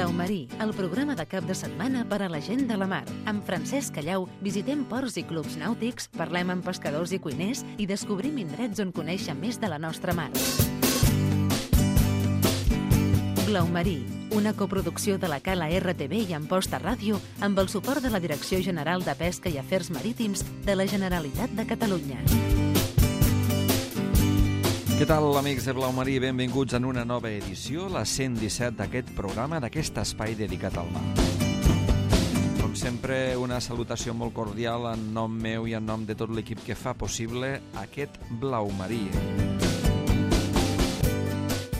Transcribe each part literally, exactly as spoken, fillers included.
Blau Marí, el programa de cap de setmana per a la gent de la mar. Amb Francesc Callau visitem ports i clubs nàutics, parlem amb pescadors i cuiners i descobrim indrets on conèixer més de la nostra mar. Blau Marí, una coproducció de la Cala R T V i Amposta Ràdio amb el suport de la Direcció General de Pesca i Afers Marítims de la Generalitat de Catalunya. Què tal, amics de Blau Marí? Benvinguts en una nova edició, la cent disset d'aquest programa, d'aquest espai dedicat al mar. Com sempre, una salutació molt cordial en nom meu i en nom de tot l'equip que fa possible aquest Blau Marí.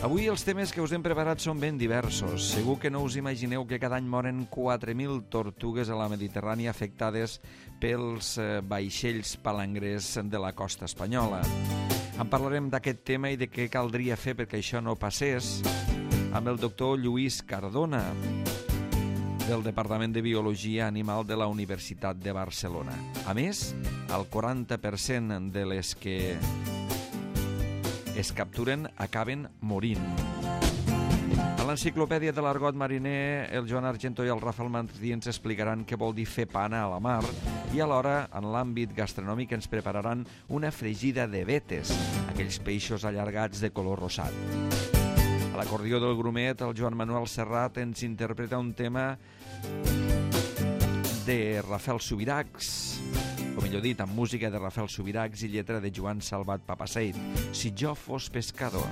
Avui els temes que us hem preparat són ben diversos. Segur que no us imagineu que cada any moren quatre mil tortugues a la Mediterrània afectades pels vaixells palangrers de la costa espanyola. En parlarem d'aquest tema i de què caldria fer perquè això no passés amb el doctor Lluís Cardona, del Departament de Biologia Animal de la Universitat de Barcelona. A més, el quaranta per cent de les que es capturen acaben morint. A l'enciclopèdia de l'argot mariner, el Joan Argento i el Rafael Martí ens explicaran què vol dir fer pana a la mar i alhora, en l'àmbit gastronòmic, ens prepararan una fregida de vetes, aquells peixos allargats de color rosat. A l'acordió del grumet, el Joan Manuel Serrat ens interpreta un tema de Rafael Subirachs, o millor dit, amb música de Rafael Subirachs i lletra de Joan Salvat Papaseit, Si jo fos pescador.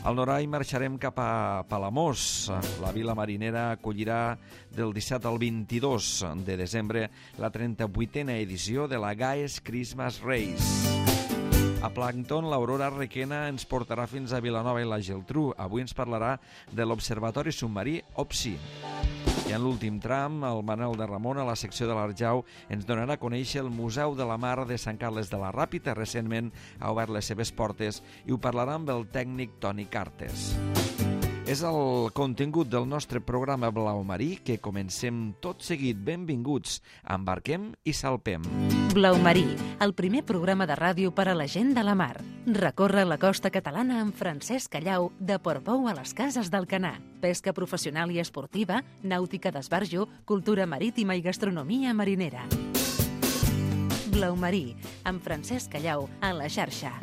Al Norai marxarem cap a Palamós. La vila marinera acollirà del disset al vint-i-dos de desembre la trenta-vuitena edició de la Gaes Christmas Race. A Plàncton, l'Aurora Requena ens portarà fins a Vilanova i la Geltrú. Avui ens parlarà de l'Observatori Submarí OPSI. I en l'últim tram, el Manel de Ramon, a la secció de l'Arjau, ens donarà a conèixer el Museu de la Mar de Sant Carles de la Ràpita. Recentment ha obert les seves portes i ho parlarà amb el tècnic Toni Cartes. És el contingut del nostre programa Blau Marí que comencem tot seguit. Benvinguts, embarquem i salpem. Blau Marí, el primer programa de ràdio per a la gent de la mar. Recorre la costa catalana amb Francesc Callau de Portbou a les Cases d'Alcanar. Pesca professional i esportiva, nàutica d'esbarjo, cultura marítima i gastronomia marinera. Blau Marí, amb Francesc Callau a la xarxa.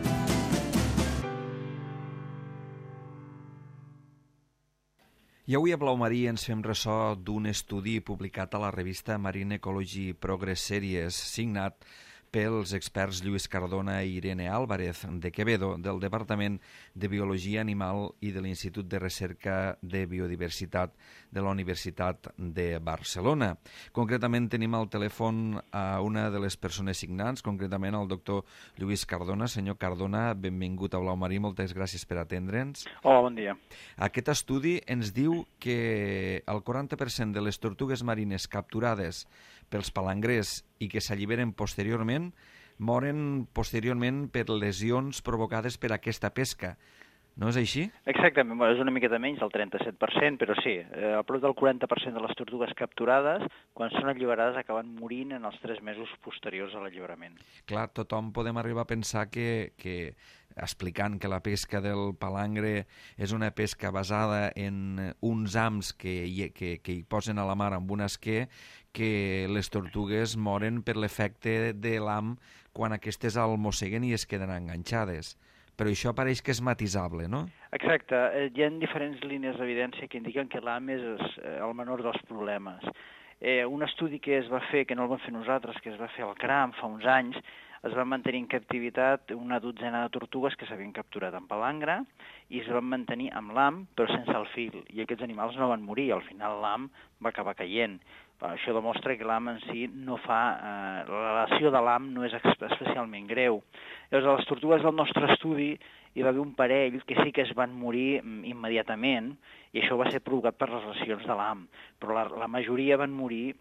I avui a Blau Marí ens fem ressò d'un estudi publicat a la revista Marine Ecology Progress Series, signat pels experts Lluís Cardona i Irene Álvarez de Quevedo, del Departament de Biologia Animal i de l'Institut de Recerca de Biodiversitat de la Universitat de Barcelona. Concretament tenim al telèfon a una de les persones signants, concretament el doctor Lluís Cardona. Senyor Cardona, benvingut a Blau Marí, moltes gràcies per atendre'ns. Hola, bon dia. Aquest estudi ens diu que el quaranta per cent de les tortugues marines capturades pels palangrers i que s'alliberen posteriorment moren posteriorment per lesions provocades per aquesta pesca. No és així? Exactament, bueno, és una miqueta menys, el trenta-set per cent, però sí, eh, a prop del quaranta per cent de les tortugues capturades, quan són alliberades, acaben morint en els tres mesos posteriors a l'alliberament. Clar, tothom podem arribar a pensar que, que explicant que la pesca del palangre és una pesca basada en uns hams que hi, que, que hi posen a la mar amb un esquer, que les tortugues moren per l'efecte de l'ham quan aquestes el mosseguen i es queden enganxades. Però això pareix que és matisable, no? Exacte. Hi ha diferents línies d'evidència que indiquen que l'ham és el menor dels problemes. Eh, un estudi que es va fer, que no el vam fer nosaltres, que es va fer al CRAM fa uns anys, es van mantenir en captivitat una dotzena de tortugues que s'havien capturat en palangre i es van mantenir amb l'ham però sense el fil. I aquests animals no van morir, al final l'ham va acabar caient. Això demostra que l'ham en si no fa... Eh, la lesió de l'ham no és especialment greu. Llavors, a les tortugues del nostre estudi hi va haver un parell que sí que es van morir immediatament i això va ser provocat per les lesions de l'ham, però la, la majoria van morir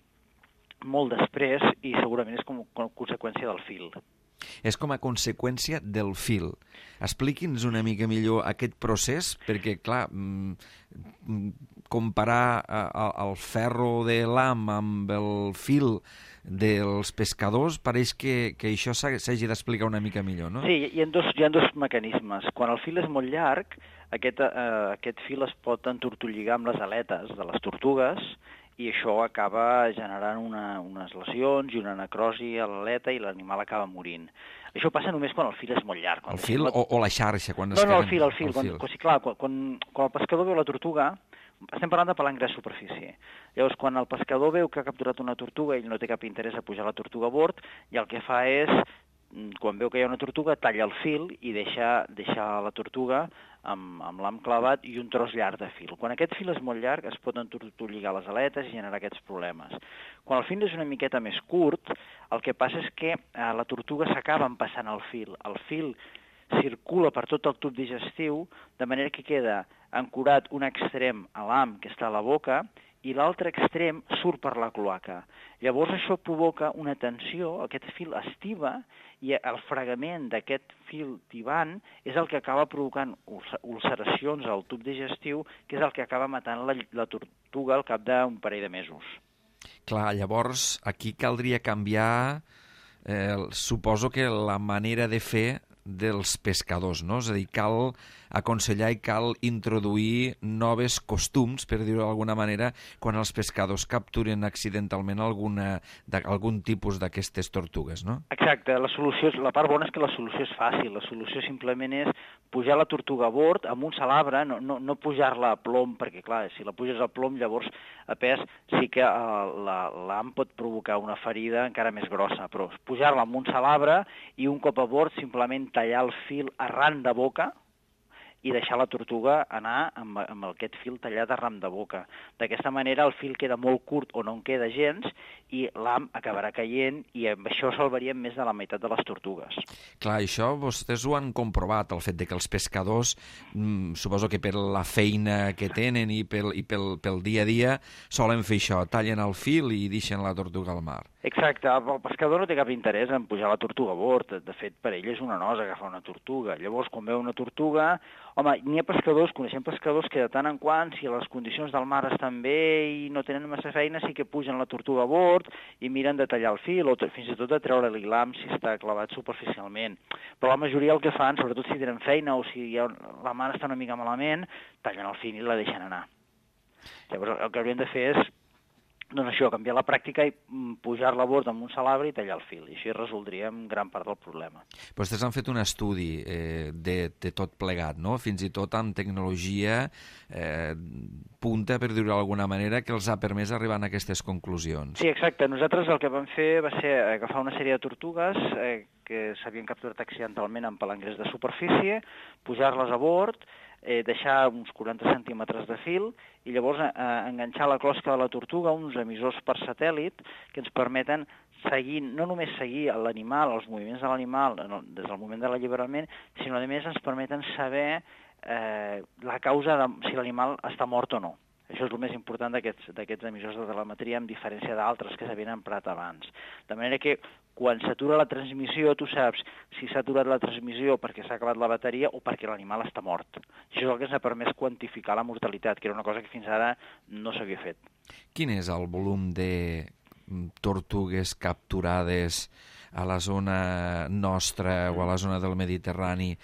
molt després i segurament és com a conseqüència del fil. És com a conseqüència del fil. Expliqui'ns una mica millor aquest procés, perquè, clar, comparar uh, el ferro de l'ham amb el fil dels pescadors, pareix que, que això s'hagi d'explicar una mica millor, no? Sí, hi ha dos, hi ha dos mecanismes. Quan el fil és molt llarg, aquest, eh, aquest fil es pot entortolligar amb les aletes de les tortugues i això acaba generant una, unes lesions i una necrosi a l'aleta i l'animal acaba morint. Això passa només quan el fil és molt llarg. El fil o, o la xarxa? Quan no, es no, queden... el fil, el fil. El quan, fil. Quan, sí, clar, quan, quan, quan el pescador veu la tortuga, estem parlant de palangre de superfície. Llavors, quan el pescador veu que ha capturat una tortuga i ell no té cap interès a pujar la tortuga a bord, i el que fa és, quan veu que hi ha una tortuga, talla el fil i deixa, deixa la tortuga amb, amb l'ham clavat i un tros llarg de fil. Quan aquest fil és molt llarg, es pot entortolligar les aletes i generar aquests problemes. Quan el fil és una miqueta més curt, el que passa és que eh, la tortuga s'acaba empassant el fil. El fil circula per tot el tub digestiu, de manera que queda ancorat un extrem a l'ham, que està a la boca, i l'altre extrem surt per la cloaca. Llavors això provoca una tensió, aquest fil estiva, i el fregament d'aquest fil tibant és el que acaba provocant ulceracions al tub digestiu, que és el que acaba matant la, la tortuga al cap d'un parell de mesos. Clar, llavors aquí caldria canviar, eh, suposo que la manera de fer dels pescadors, no? És a dir, cal aconsellar i cal introduir noves costums, per dir-ho d'alguna manera, quan els pescadors capturen accidentalment alguna, algun tipus d'aquestes tortugues, no? Exacte, la solució és, la part bona és que la solució és fàcil, la solució simplement és pujar la tortuga a bord amb un salabre, no, no, no pujar-la a plom, perquè clar, si la puges a plom llavors a pes sí que l'ham pot provocar una ferida encara més grossa, però pujar-la amb un salabre i un cop a bord simplement tallar el fil arran de boca i deixar la tortuga anar amb, amb aquest fil tallat arran de boca. D'aquesta manera el fil queda molt curt o no en queda gens i l'ham acabarà caient i amb això salvaríem més de la meitat de les tortugues. Clar, això vostès ho han comprovat, el fet de que els pescadors, mmm, suposo que per la feina que tenen i pel, i pel, pel dia a dia, solen fer això, tallen el fil i deixen la tortuga al mar. Exacte, el pescador no té cap interès en pujar la tortuga a bord, de fet per ell és una nosa agafar una tortuga, llavors quan veu una tortuga, home, n'hi ha pescadors, coneixem pescadors que de tant en quant, si les condicions del mar estan bé i no tenen massa feina, sí que pugen la tortuga a bord i miren de tallar el fil o fins i tot de treure-li l'ham si està clavat superficialment. Però la majoria el que fan, sobretot si tenen feina o si ja la mar està una mica malament, tallen el fil i la deixen anar. Llavors el que hauríem de fer és doncs això, canviar la pràctica i pujar-la a bord amb un salabre i tallar el fil. I així resoldríem gran part del problema. Vostès han fet un estudi eh, de, de tot plegat, no? Fins i tot amb tecnologia eh, punta, per dir-ho d'alguna manera, que els ha permès arribar a aquestes conclusions. Sí, exacte. Nosaltres el que vam fer va ser agafar una sèrie de tortugues eh, que s'havien capturat accidentalment amb palangrers de superfície, pujar-les a bord, eh, deixar uns quaranta centímetres de fil i llavors eh, enganxar la closca de la tortuga a uns emissors per satèl·lit que ens permeten seguir, no només seguir l'animal, els moviments de l'animal des del moment de l'alliberament, sinó a més ens permeten saber eh, la causa de si l'animal està mort o no. Això és el més important d'aquests d'aquests emissors de telemetria, en diferència d'altres que s'havien emprat abans. De manera que quan s'atura la transmissió, tu saps si s'ha aturat la transmissió perquè s'ha acabat la bateria o perquè l'animal està mort. Això és el que ens ha permès quantificar la mortalitat, que era una cosa que fins ara no s'havia fet. Quin és el volum de tortugues capturades a la zona nostra o a la zona del Mediterrani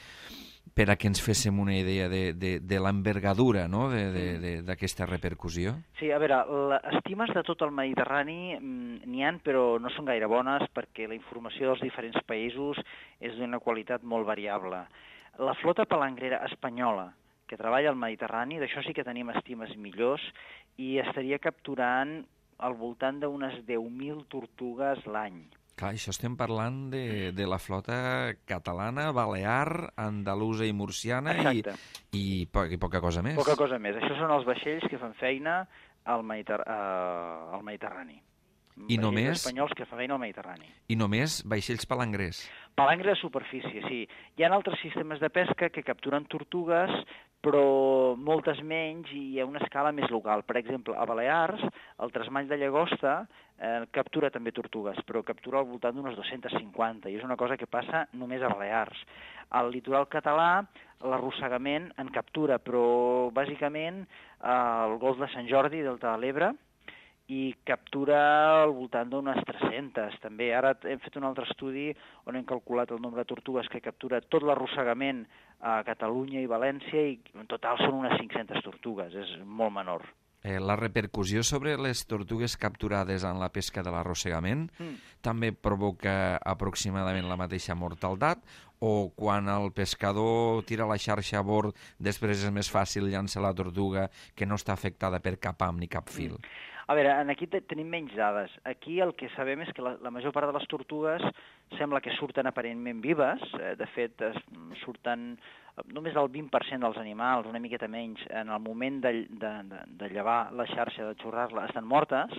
per a que ens féssim una idea de, de, de l'envergadura, no?, d'aquesta repercussió? Sí, a veure, les estimes de tot el Mediterrani n'hi ha, però no són gaire bones perquè la informació dels diferents països és d'una qualitat molt variable. La flota palangrera espanyola que treballa al Mediterrani, d'això sí que tenim estimes millors, i estaria capturant al voltant d'unes deu mil tortugues l'any. Clar, això estem parlant de, de la flota catalana, balear, andalusa i murciana i, i, po i poca cosa més. Poca cosa més. Això són els vaixells que fan feina al, Mediter uh, al Mediterrani. I només... espanyols que fan feina al Mediterrani. I només vaixells palangrers. Palangre de superfície, sí. Hi ha altres sistemes de pesca que capturen tortugues, però moltes menys i a una escala més local. Per exemple, a Balears, el tresmall de llagosta eh, captura també tortugues, però captura al voltant d'unes dues-centes cinquanta, i és una cosa que passa només a Balears. Al litoral català, l'arrossegament en captura, però bàsicament al golf de Sant Jordi, delta de l'Ebre, i captura al voltant d'unes tres-centes, també. Ara hem fet un altre estudi on hem calculat el nombre de tortugues que captura tot l'arrossegament a Catalunya i València, i en total són unes cinc-centes tortugues, és molt menor. Eh, la repercussió sobre les tortugues capturades en la pesca de l'arrossegament mm. també provoca aproximadament la mateixa mortalitat, o quan el pescador tira la xarxa a bord després és més fàcil llançar la tortuga que no està afectada per cap ham ni cap fil? Mm. A veure, aquí tenim menys dades. Aquí el que sabem és que la, la major part de les tortugues sembla que surten aparentment vives. De fet, es, surten només el vint per cent dels animals, una miqueta menys, en el moment de, de, de, de llevar la xarxa, de xurrar-la, estan mortes.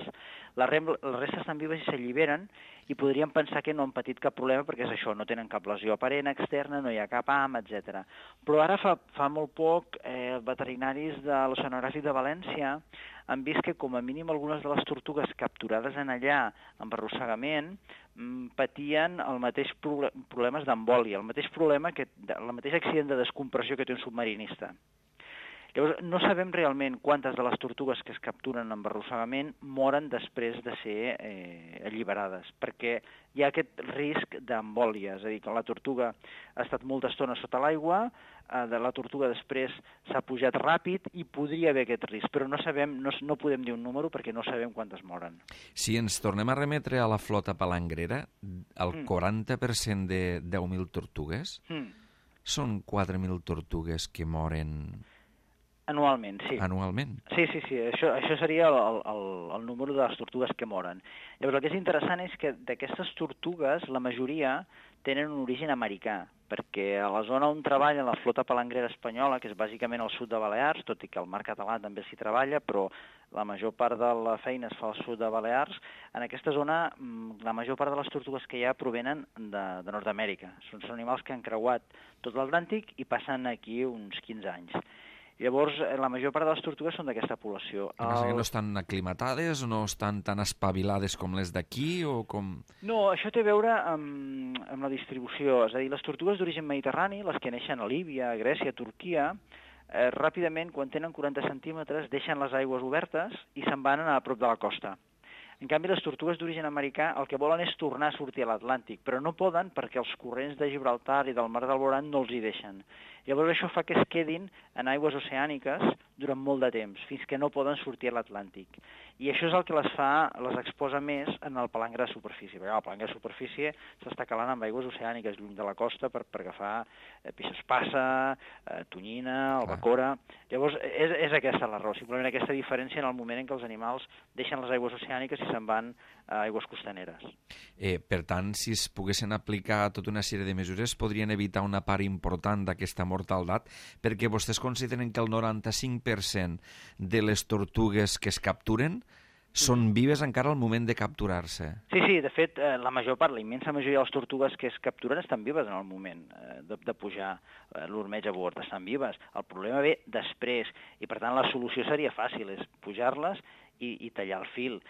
La, rem, la resta estan vives i s'alliberen, i podríem pensar que no han patit cap problema perquè és això, no tenen cap lesió aparent externa, no hi ha cap ham, etcètera. Però ara fa, fa molt poc eh, veterinaris de l'Oceanogràfic de València han vist que com a mínim algunes de les tortugues capturades en allà amb arrossegament patien el mateix pro problemes d'embòlia, el mateix problema, que, el mateix accident de descompressió que té un submarinista. Llavors, no sabem realment quantes de les tortugues que es capturen amb arrossegament moren després de ser eh, alliberades, perquè hi ha aquest risc d'embòlia, és a dir, que la tortuga ha estat molta estona sota l'aigua, eh, de la tortuga després s'ha pujat ràpid i podria haver aquest risc, però no sabem, no, no podem dir un número perquè no sabem quantes moren. Si ens tornem a remetre a la flota palangrera, el mm. quaranta per cent de deu mil tortugues mm. són quatre mil tortugues que moren... Anualment, sí. Anualment? Sí, sí, sí. Això, això seria el, el, el número de les tortugues que moren. Llavors, el que és interessant és que d'aquestes tortugues, la majoria tenen un origen americà, perquè a la zona on treballa la flota palangrera espanyola, que és bàsicament al sud de Balears, tot i que al mar català també s'hi treballa, però la major part de la feina es fa al sud de Balears, en aquesta zona la major part de les tortugues que hi ha provenen de, de Nord-amèrica. Són, són animals que han creuat tot l'Atlàntic i passen aquí uns quinze anys. Llavors, la major part de les tortugues són d'aquesta població. El... que no estan aclimatades o no estan tan espavilades com les d'aquí o com... No, això té a veure amb, amb la distribució. És a dir, les tortugues d'origen mediterrani, les que neixen a Líbia, a Grècia, a Turquia, eh, ràpidament, quan tenen quaranta centímetres, deixen les aigües obertes i se'n van a prop de la costa. En canvi, les tortugues d'origen americà el que volen és tornar a sortir a l'Atlàntic, però no poden perquè els corrents de Gibraltar i del Mar del Boran no els hi deixen. Llavors això fa que es quedin en aigües oceàniques durant molt de temps, fins que no poden sortir a l'Atlàntic. I això és el que les fa, les exposa més en el palangre de superfície, perquè el palangre de superfície s'està calant amb aigües oceàniques lluny de la costa per, per agafar eh, peix espassa, eh, tonyina, albacora... Llavors és, és aquesta la raó, simplement aquesta diferència en el moment en què els animals deixen les aigües oceàniques i se'n van a aigües costaneres. Eh, per tant, si es poguessin aplicar tota una sèrie de mesures, podrien evitar una part important d'aquesta mortalitat, perquè vostès consideren que el noranta-cinc per cent de les tortugues que es capturen són vives encara al moment de capturar-se. Sí, sí, de fet, eh, la major part, la immensa majoria de les tortugues que es capturen estan vives en el moment eh, de, de pujar eh, l'ormeig a bord, estan vives. El problema ve després, i per tant la solució seria fàcil, és pujar-les i, i tallar el fil.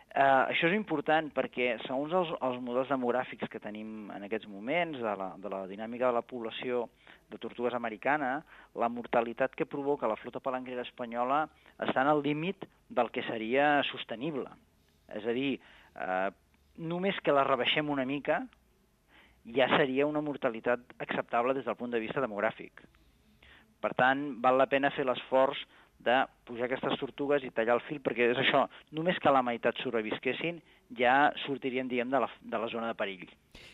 Uh, això és important perquè, segons els, els models demogràfics que tenim en aquests moments, de la, de la dinàmica de la població de tortugues americana, la mortalitat que provoca la flota palangrera espanyola està en el límit del que seria sostenible. És a dir, uh, només que la rebaixem una mica ja seria una mortalitat acceptable des del punt de vista demogràfic. Per tant, val la pena fer l'esforç de pujar aquestes tortugues i tallar el fil, perquè és això, només que la meitat sobrevisquessin ja sortirien, diguem, de la, de la zona de perill.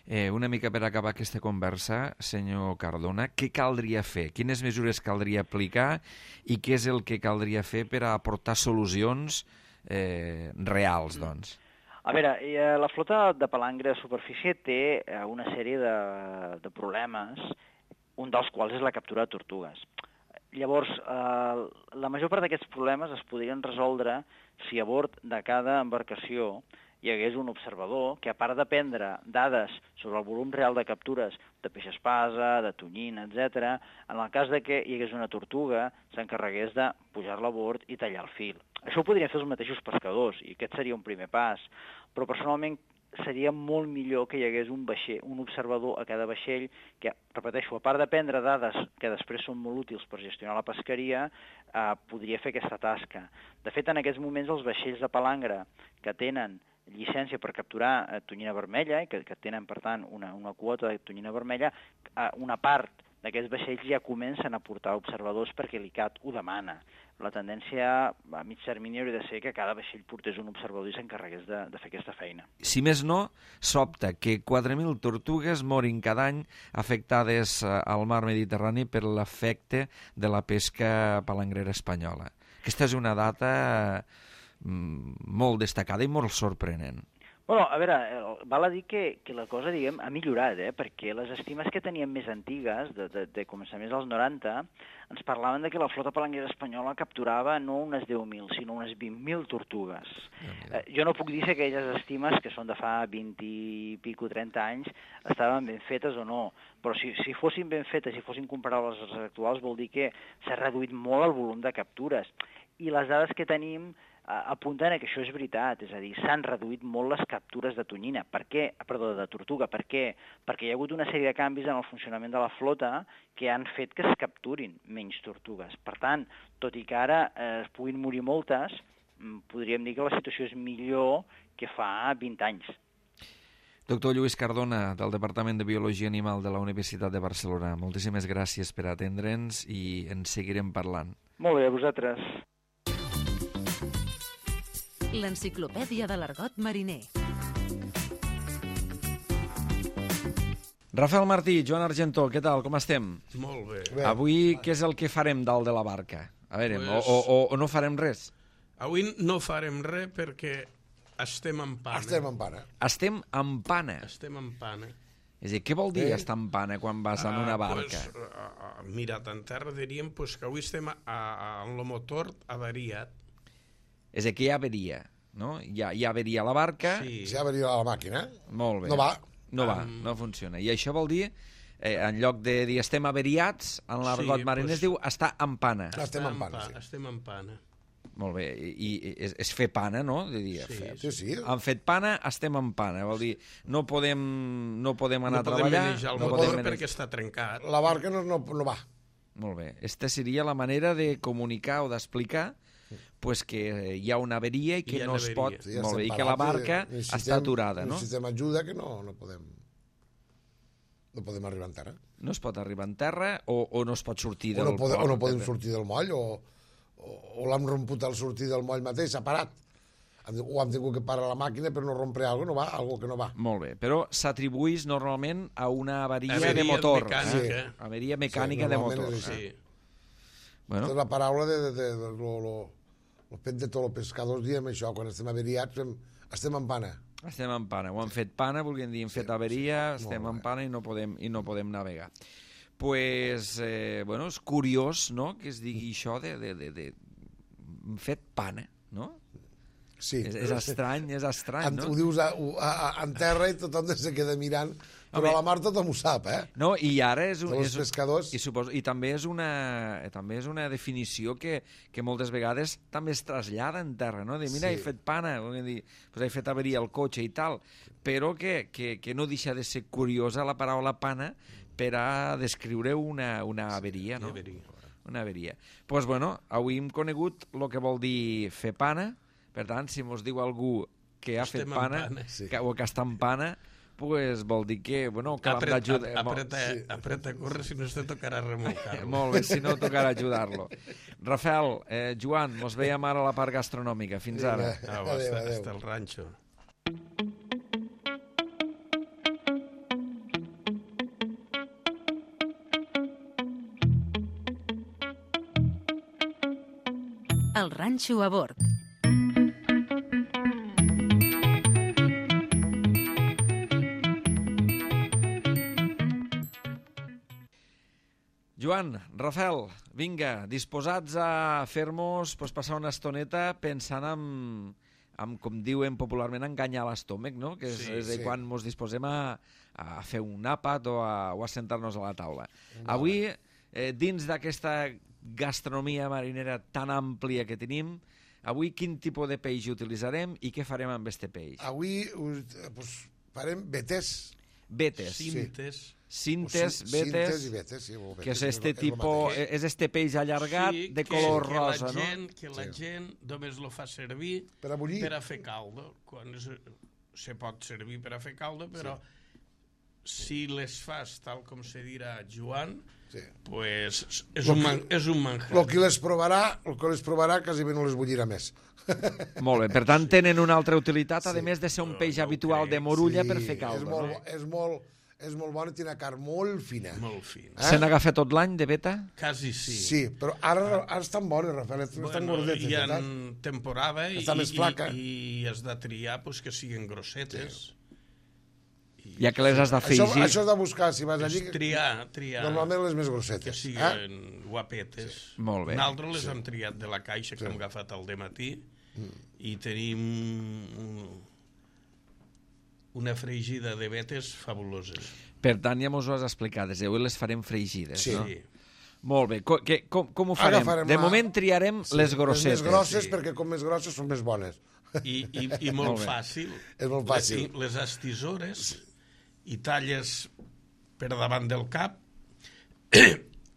Eh, una mica per acabar aquesta conversa, senyor Cardona, què caldria fer? Quines mesures caldria aplicar i què és el que caldria fer per a aportar solucions eh, reals, doncs? A veure, eh, la flota de palangre de superfície té eh, una sèrie de, de problemes, un dels quals és la captura de tortugues. Llavors, eh, la major part d'aquests problemes es podrien resoldre si a bord de cada embarcació hi hagués un observador que, a part de prendre dades sobre el volum real de captures de peix espasa, de tonyina, etcètera, en el cas de que hi hagués una tortuga, s'encarregués de pujar-la a bord i tallar el fil. Això ho podrien fer els mateixos pescadors, i aquest seria un primer pas. Però personalment seria molt millor que hi hagués un vaixell, un observador a cada vaixell que, repeteixo, a part de prendre dades que després són molt útils per gestionar la pesqueria, eh, podria fer aquesta tasca. De fet, en aquests moments els vaixells de palangre que tenen llicència per capturar eh, tonyina vermella, i que, que tenen, per tant, una, una quota de tonyina vermella, eh, una part d'aquests vaixells ja comencen a portar observadors perquè l'I C A T ho demana. La tendència a mig termini hauria de ser que cada vaixell portés un observador i s'encarregués de, de fer aquesta feina. Si més no, sobta que quatre mil tortugues morin cada any afectades al mar Mediterrani per l'efecte de la pesca palangrera espanyola. Aquesta és una data molt destacada i molt sorprenent. Bueno, a veure, val a dir que, que la cosa, diguem, ha millorat, eh? Perquè les estimes que teníem més antigues, de, de, de començaments dels noranta, ens parlaven de que la flota palangrera espanyola capturava no unes deu mil, sinó unes vint mil tortugues. Eh, jo no puc dir si aquelles estimes, que són de fa vint i pico, trenta anys, estaven ben fetes o no, però si, si fossin ben fetes, si fossin comparables als actuals, vol dir que s'ha reduït molt el volum de captures. I les dades que tenim apunten que això és veritat, és a dir, s'han reduït molt les captures de tonyina. Per què? Perdó, de tortuga. Per què? Perquè hi ha hagut una sèrie de canvis en el funcionament de la flota que han fet que es capturin menys tortugues. Per tant, tot i que ara eh, es puguin morir moltes, podríem dir que la situació és millor que fa vint anys. Doctor Lluís Cardona, del Departament de Biologia Animal de la Universitat de Barcelona, moltíssimes gràcies per atendre'ns i en seguirem parlant. Molt bé, a vosaltres. L'enciclopèdia de l'argot mariner. Rafael Martí, Joan Argentó, què tal, com estem? Molt bé. bé. Avui què és el que farem dalt de la barca? A veure, pues... o, o, o no farem res? Avui no farem res perquè estem en pana. Estem en pana. Estem en pana? Estem en pana. És a dir, què vol dir eh? estar en pana quan vas en una barca? Uh, pues, uh, mirat en terra diríem pues, que avui estem a, a, en el motor avariat. És a dir, que hi ha averia, no? Hi ha, hi ha averia a la barca... Sí. Si hi ha averia a la màquina, molt bé. No va. No va, um... no funciona. I això vol dir, eh, en lloc de dir estem avariats, en l'argot sí, mariner pues... es diu estar en pana. Estem en pana, sí. Estem en pana. Molt bé, i, i és, és fer pana, no? De dir, sí, fer, sí, sí. Han fet pana, estem en pana. Vol dir, no podem, no podem anar no a treballar... El no motor podem perquè està trencat. La barca no, no, no va. Molt bé. Esta seria la manera de comunicar o d'explicar pues que hi ha una averia i que no es pot... Sí, ja molt bé, i que la barca està aturada, no? Necessitem ajuda que no, no podem... No podem arribar en terra. No es pot arribar en terra o, o no es pot sortir del o no pode, port. O no podem sortir del moll, o, o, o l'hem romput al sortir del moll mateix, s'ha parat. O hem tingut que parar la màquina per no rompre alguna cosa, no va, algo que no va. Molt bé, però s'atribueix normalment a una avaria, avaria de motor. Mecànica. Eh? Avaria mecànica sí, de motor. Sí. Eh? Bueno. És la paraula de... de, de, de lo, lo, el fet de tots els pescadors diem això, quan estem averiats estem en pana. Estem en pana, ho han fet pana, volguem dir, hem sí, fet averia, sí, estem en pana i no podem, i no podem navegar. Pues, eh, bueno, és curiós, no?, que es digui això de, de, de, de... hem fet pana, no? Sí. És, és estrany, és estrany, en, no? Ho dius a, a, a, en terra i tothom se queda mirant, però a la mar tothom ho sap, eh? No, i ara és... Un, els és pescadors... I, suposo, i també, és una, també és una definició que, que moltes vegades també es trasllada en terra, no? De, mira, sí. he fet pana, dir, pues he fet averia el cotxe i tal, però que, que, que no deixa de ser curiosa la paraula pana per a descriure una, una averia, no? Una averia. Doncs, pues, bueno, avui hem conegut el que vol dir fer pana. Per tant, si mos diu algú que ha Estem fet pana, pana. Sí. que, o que està en pana, pues vol dir que, bueno, que l'hem d'ajudar. Apreta, sí. apreta a córrer, si no te tocarà remolcar-lo. Molt bé, si no tocarà ajudar-lo. Rafael, eh, Joan, mos veiem ara a la part gastronòmica. Fins ara. Ah, va, adéu, adéu. Hasta el ranxo. El ranxo a bord. Joan, Rafael, vinga, disposats a fer-nos pues, passar una estoneta pensant en, en, com diuen popularment, enganyar l'estómac, no? Que és, sí, és sí. quan ens disposem a, a fer un àpat o a, o a sentar-nos a la taula. No. Avui, eh, dins d'aquesta gastronomia marinera tan àmplia que tenim, Avui quin tipus de peix utilitzarem i què farem amb este peix? Avui pues, farem vetes. Vetes. Cintes. Cintes, Sí, vetes, cintes i vetes, sí, o vetes, que és és este lo- és lo tipo, mateix. és este peix allargat Sí, de que- color que rosa, la no? gent, que la Sí. gent només lo fa servir Per a bullir. per a fer caldo. Quan es, se pot servir per a fer caldo, però si les fas tal com se dirà Joan, Sí. pues és Lo un, que- man, és un manjar. El que les provarà, el que les provarà quasi bé no les bullirà més. Molt bé, per tant tenen una altra utilitat, a Sí. més de ser un No, peix no ho habitual de crec. morulla Sí, per fer caldo, és molt, no? bo- és molt, és molt bona i té una carn molt fina. Molt fin. Eh? Se n'agafa tot l'any de beta? Quasi sí. Sí, però ara, ara estan bones, Rafael, estan Bueno, gordetes, hi ha veritat? temporada i, Està més i, flaca. i has de triar pues, que siguin grossetes. Ja que les has Això, d'afegir... això has de buscar, si vas allí, És triar, triar. normalment les més Que grossetes. siguin Eh? guapetes. Sí. Molt bé. Nosaltres les hem triat de la caixa que hem agafat al dematí Mm. i tenim un- una fregida de vetes fabuloses. Per tant, ja mos ho has explicat, des d'avui les farem fregides, Sí. no? Sí. Molt bé, co que, com, com ho farem? Agafarem De la- moment triarem Sí, les grossetes. Les més grosses, sí. perquè com més grosses són més bones. I, i, i Molt molt bé. fàcil. És molt fàcil. Les, les estisores i talles per davant del cap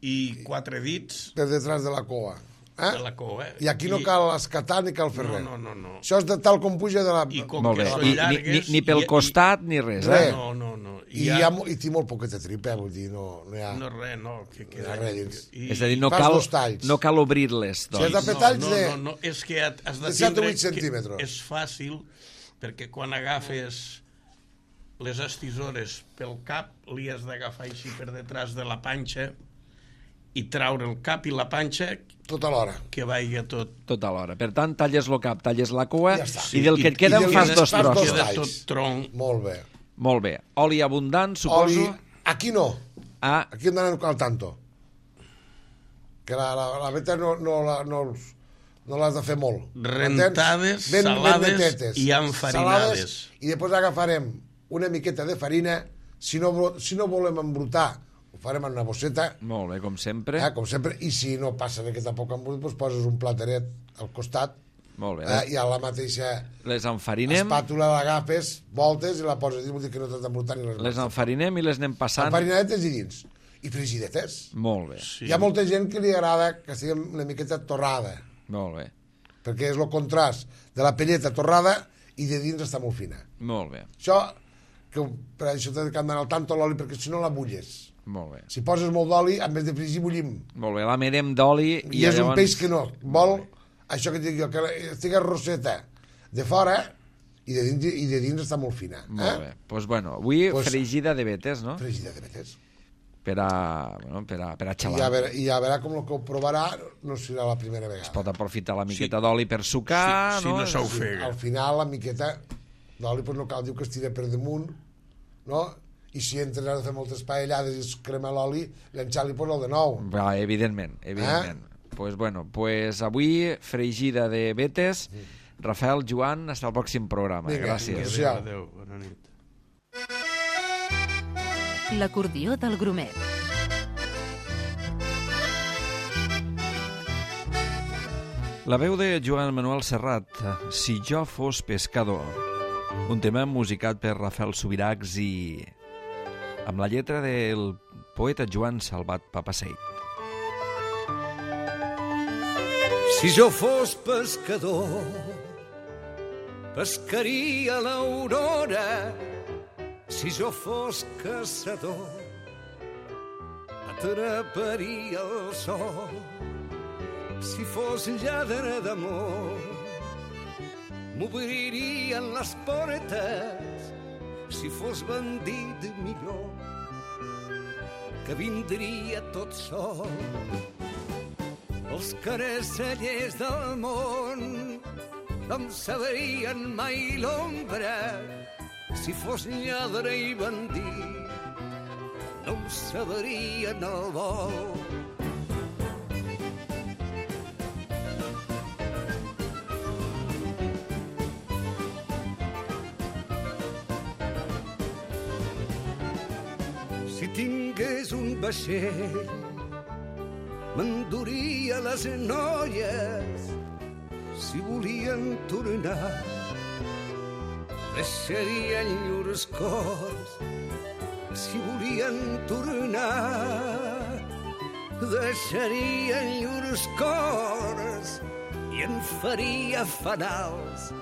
i quatre dits Per detrás de la coa. Eh? de la cua. I aquí no cal escatar ni cal fer No, res. no, no, no. Això és de tal com puja de la... I com Molt que bé, són I, ni, ni, llargues... ni pel i- costat ni res, Res. eh? No, no, no. I, hi ha, mo- i té molt poqueta tripa, vull dir, no, no hi ha... No, res, no. Que, que, No hi ha res dins. I, És a dir, no fas cal, dos talls. no cal obrir-les, Si has de doncs. fer no, talls no, de- no, no, és que has de de set o tindre... vuit centímetres. que És fàcil, perquè quan agafes les estisores pel cap, li has d'agafar així per detrás de la panxa i traure el cap i la panxa Tot alhora. que vagi tot... Tot alhora. Per tant, talles el cap, talles la cua, Ja està. i del que et queda I en del fas que dos fas dos trossos. talls. Queda tot tronc. Molt bé. Molt bé. Oli abundant, Oli... suposo. Aquí no. Ah, Aquí hem d'anar al tanto. Que la, la, la veta no, no, la, no, els- no l'has de fer molt. Rentades, M'entens? salades netetes. i enfarinades. Salades, I després agafarem una miqueta de farina. Si no, vo- si no volem embrutar, ho farem en una bosseta, molt bé, com sempre. eh, com sempre, i si no passa de que tampoc embrut, doncs poses un plateret al costat, Molt bé. eh, i a la mateixa Les enfarinem, espàtula l'agafes, voltes i la poses dins, vol dir que no t'has d'embrutar ni res les més. enfarinem i les anem passant. Enfarinadetes i dins. I frigidetes. Molt bé, Sí. Hi ha molta gent que li agrada que estigui una miqueta torrada, molt bé, perquè és el contrast de la pelleta torrada i de dins està molt fina. molt bé, Això, que per això t'ha d'anar al tanto l'oli, perquè si no la bulles. molt bé. Si poses molt d'oli, en vez de fregir, bullim. Molt bé, la mirem d'oli I, i és llavors... un peix que no vol, això que et dic jo, que estigui roseta de fora i de dins, i de dins està molt fina. Molt eh? bé. Doncs pues bueno, avui Pues- fregida de vetes, no? Fregida de vetes. Per a, bueno, per a, per a I xalar. ja, verà, I ja verà com el que ho provarà no serà la primera vegada. Pot aprofitar la miqueta d'oli per sucar, Si- si no? no s'ho Sí, ofega. al final la miqueta d'oli pues no cal, diu que es tira per damunt, no? I si entres a fer moltes paellades i es crema l'oli, l'enxal li posa el de nou. Va, evidentment, evidentment. Eh? Pues bueno, pues avui fregida de vetes. Rafael, Joan, hasta el pròxim programa. Vinga, Gràcies. vinga. Adéu, adéu, bona nit. L'acordió del Grumet. La veu de Joan Manuel Serrat, Si jo fos pescador. Un tema musicat per Rafael Subirachs i amb la lletra del poeta Joan Salvat Papaseit. Si jo fos pescador, pescaria l'aurora. Si jo fos caçador, atraparia el sol. Si fos lladre d'amor, m'obririen les portes. Si fos bandit millor, que vindria tot sol. Els caracellers del món no em sabrien mai l'ombra. Si fos lladre i bandit, no em sabrien el vol. Si tingués un vaixell, m'enduria les noies. si volien tornar, deixarien llurs cors si volien tornar, deixarien llurs cors i en faria fanals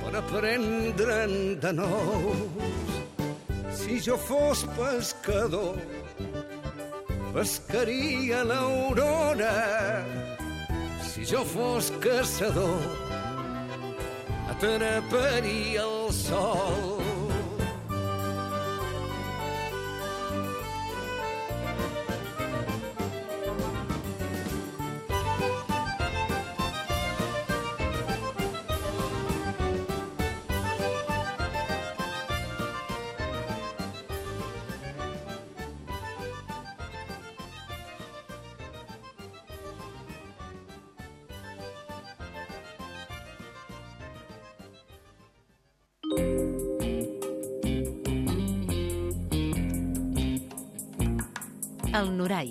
per aprendre'n de nous. Si jo fos pescador, pescaria l'aurora. Si jo fos caçador, atraparia el sol. El Norai.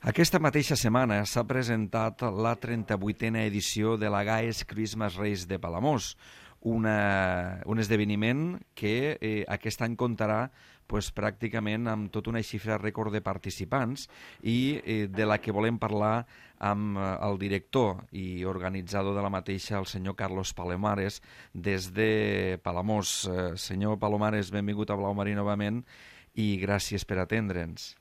Aquesta mateixa setmana s'ha presentat la trenta-vuitena edició de la Gaes Christmas Race de Palamós, una, un esdeveniment que eh, aquest any comptarà pues, pràcticament amb tota una xifra rècord de participants i eh, de la que volem parlar amb eh, el director i organitzador de la mateixa, el senyor Carlos Palomares, des de Palamós. Eh, senyor Palomares, benvingut a Blau Marí novament i gràcies per atendre'ns.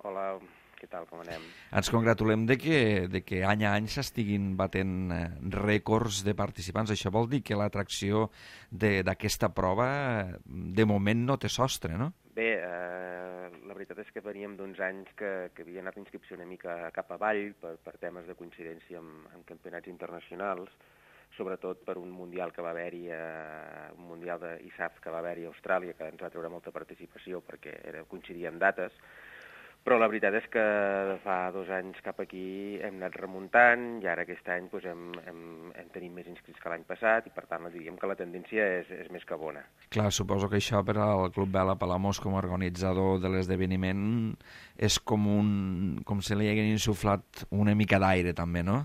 Hola, què tal, com anem? Ens congratulem de que, de que any a any s'estiguin batent eh, rècords de participants. Això vol dir que l'atracció d'aquesta prova de moment no té sostre, no? Bé, eh, la veritat és que veníem d'uns anys que, que havia anat inscripció una mica cap avall per, per temes de coincidència amb, amb campionats internacionals, sobretot per un mundial que va haver-hi, eh, un mundial de I S A F que va haver-hi a Austràlia, que ens va treure molta participació perquè era, coincidia en dates. Però la veritat és que fa dos anys cap aquí hem anat remuntant i ara aquest any doncs, hem, hem, hem tenim més inscrits que l'any passat i per tant diríem que la tendència és, és més que bona. Clar, suposo que això per al Club Vela Palamós com a organitzador de l'esdeveniment és com, un, com si li haguin insuflat una mica d'aire també, no?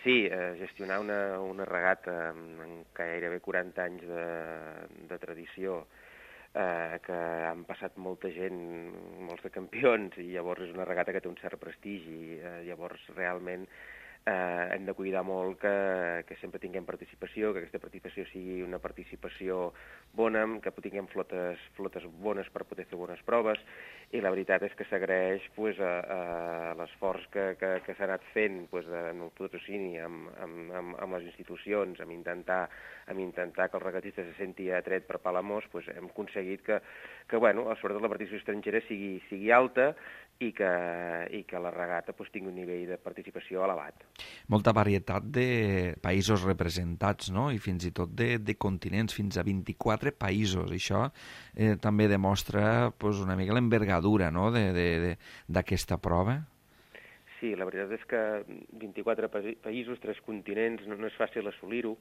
Sí, eh, gestionar una, una regata amb gairebé quaranta anys de, de tradició, Eh, que han passat molta gent, molts de campions, i llavors és una regata que té un cert prestigi. Eh, llavors, realment, eh, hem de cuidar molt que, que sempre tinguem participació, que aquesta participació sigui una participació bona, que tinguem flotes, flotes bones per poder fer bones proves, i la veritat és que s'agraeix pues, a, a l'esforç que, que, que s'ha anat fent pues, en el patrocini amb, amb, amb, amb les institucions, amb intentar, amb intentar que el regatista se senti atret per Palamós, pues, hem aconseguit que, que bueno, sobretot la participació estrangera sigui, sigui alta i que, i que la regata pues, tingui un nivell de participació elevat. Molta varietat de països representats, no? I fins i tot de, de continents, fins a vint-i-quatre països. Això eh, també demostra pues, una mica l'envergadura, no? d'aquesta prova. Sí, la veritat és que vint-i-quatre països, tres continents, no, no és fàcil assolir-ho,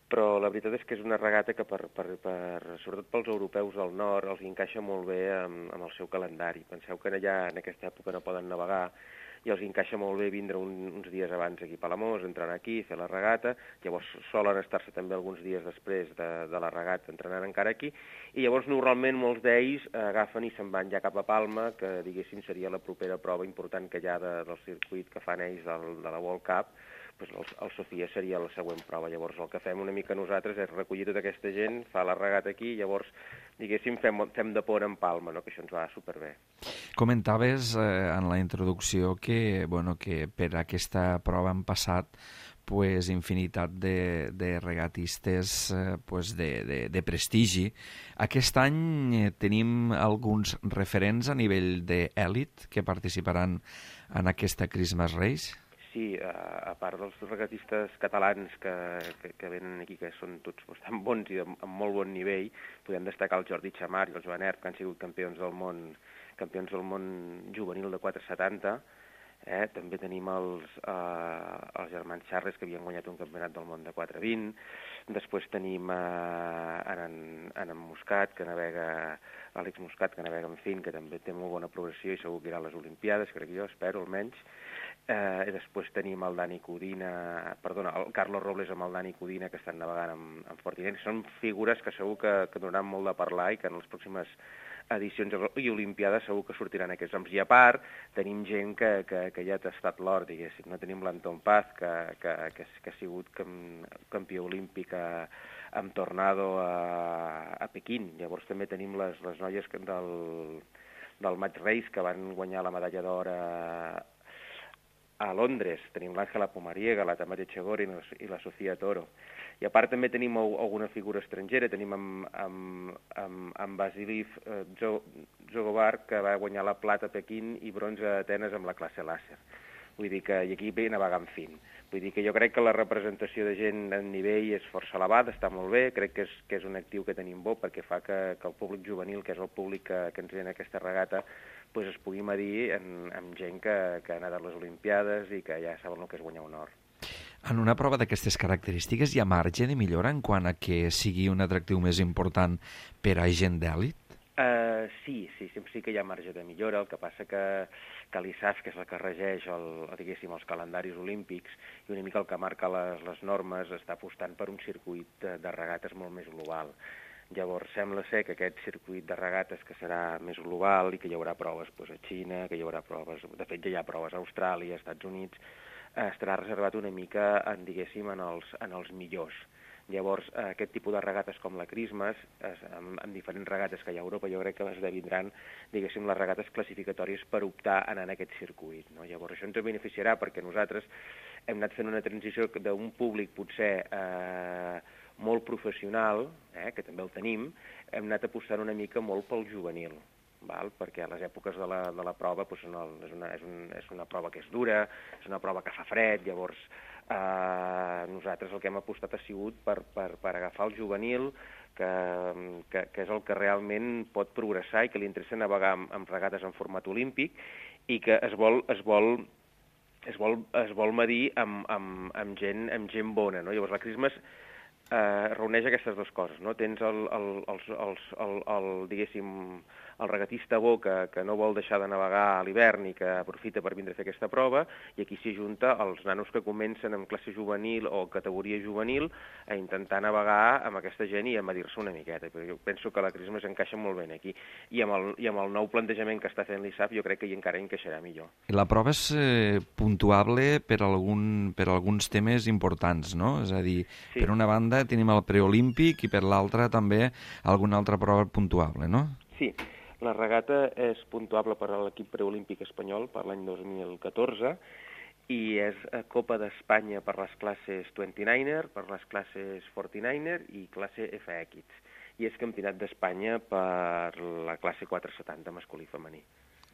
però la veritat és que és una regata que, per, per, per, sobretot pels europeus del nord, els encaixa molt bé amb, amb el seu calendari. Penseu que allà en aquesta època no poden navegar i els encaixa molt bé vindre un, uns dies abans aquí a Palamós, entrar aquí, fer la regata, llavors solen estar-se també alguns dies després de, de la regata entrenant encara aquí, i llavors normalment molts d'ells agafen i se'n van ja cap a Palma, que diguéssim seria la propera prova important que hi ha de, del circuit que fan ells del, de la World Cup. Pues el, el Sofia seria la següent prova. Llavors el que fem una mica nosaltres és recollir tota aquesta gent, fa la regata aquí, i llavors, diguéssim, fem, fem de pont en Palma, no? Que això ens va superbé. Comentaves eh, en la introducció que, bueno, que per aquesta prova han passat pues, infinitat de, de regatistes eh, pues, de, de, de prestigi. Aquest any eh, tenim alguns referents a nivell d'èlit que participaran en aquesta Christmas Race? Sí, a, a part dels regatistes catalans que, que, que venen aquí, que són tots bastant bons i amb molt bon nivell, podem destacar el Jordi Chamar i el Joan Erp, que han sigut campions del món, campions del món juvenil de quatre setanta, Eh? També tenim els, eh, els germans Charles, que havien guanyat un campionat del món de quatre vint. Després tenim eh, en, en, en Muscat, que navega, Àlex Muscat, que navega en fin, que també té molt bona progressió i segur que irà a les Olimpiades, crec jo, espero almenys. Eh, després tenim el Dani Codina, perdona, el Carlos Robles amb el Dani Codina, que estan navegant amb, amb Fortinent. Són figures que segur que, que donaran molt de parlar i que en les pròximes edicions i Olimpiades segur que sortiran aquests noms. I a part, tenim gent que, que, que ja ha tastat l'or, diguéssim. No tenim l'Anton Paz, que, que, que, que ha sigut campió olímpic a, amb Tornado a, a Pequín. Llavors també tenim les, les noies del, del Match Race, que van guanyar la medalla d'or a, a Londres. Tenim l'Àngela Pomariega, la Tamara Echegori i la Sofia Toro. I a part també tenim alguna figura estrangera, tenim amb, amb, amb, amb Vasilij eh, Zogovar, que va guanyar la plata a Pequín i bronze a Atenes amb la classe làser. Vull dir que, i aquí ve navegant fin. Vull dir que jo crec que la representació de gent en nivell és força elevada, està molt bé, crec que és, que és un actiu que tenim bo perquè fa que, que el públic juvenil, que és el públic que, que ens ve en aquesta regata, pues es pugui medir en, amb gent que, que ha anat a les Olimpiades i que ja saben el que és guanyar un or. En una prova d'aquestes característiques hi ha marge de millora en quant a que sigui un atractiu més important per a gent d'èlit? Uh, sí, sí, sempre sí que hi ha marge de millora. El que passa que, que l'I S A F, que és la que regeix el, diguéssim, els calendaris olímpics i una mica el que marca les, les normes, està apostant per un circuit de, de regates molt més global. Llavors, sembla ser que aquest circuit de regates que serà més global i que hi haurà proves doncs, a Xina, que hi haurà proves, de fet ja hi ha proves a Austràlia, als Estats Units, estarà reservat una mica, en, diguéssim, en els, en els millors. Llavors, aquest tipus de regates com la Christmas, amb, amb diferents regates que hi ha a Europa, jo crec que esdevindran, diguéssim, les regates classificatòries per optar a anar en aquest circuit. No? Llavors, això ens beneficiarà perquè nosaltres hem anat fent una transició d'un públic potser eh, molt professional, eh, que també el tenim, hem anat apostant una mica molt pel juvenil. Val? Perquè a les èpoques de la, de la prova doncs, no, és, una, és, un, és una prova que és dura, és una prova que fa fred, llavors eh, nosaltres el que hem apostat ha sigut per, per, per agafar el juvenil, que, que, que és el que realment pot progressar i que li interessa navegar amb, amb regates en format olímpic i que es vol, es vol, es vol, es vol medir amb, amb, amb, gent, amb gent bona. No? Llavors la Christmas eh, reuneix aquestes dues coses. No? Tens el, el, el, el, el, el, diguéssim, el regatista bo que, que no vol deixar de navegar a l'hivern i que aprofita per vindre a fer aquesta prova, i aquí s'hi junta els nanos que comencen en classe juvenil o categoria juvenil a intentar navegar amb aquesta gent i a medir-se una miqueta. Però jo penso que la Christmas encaixa molt bé aquí. I amb el, i amb el nou plantejament que està fent l'I S A F jo crec que hi encara encaixarà millor. La prova és eh, puntuable per, algun, per alguns temes importants, no? És a dir, sí. Per una banda tenim el preolímpic i per l'altra també alguna altra prova puntuable, no? Sí. La regata és puntuable per a l'equip preolímpic espanyol per l'any dos mil catorze i és Copa d'Espanya per les classes vint-i-niner, per les classes quaranta-niner i classe F X. I és campionat d'Espanya per la classe quatre setanta masculí i femení.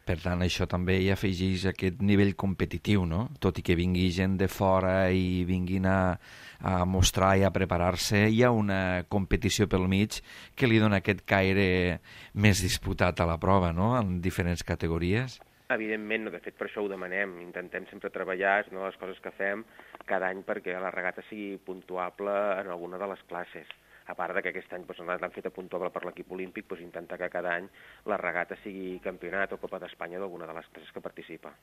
Per tant, això també hi afegeix aquest nivell competitiu, no? Tot i que vingui gent de fora i vinguin a, a mostrar i a preparar-se, hi ha una competició pel mig que li dona aquest caire més disputat a la prova, no?, en diferents categories. Evidentment, no, de fet per això ho demanem. Intentem sempre treballar, és una de les coses que fem cada any perquè la regata sigui puntuable en alguna de les classes. A part que aquest any doncs, l'han fet puntuable per l'equip olímpic, doncs, intentar que cada any la regata sigui campionat o Copa d'Espanya d'alguna de les classes que participa.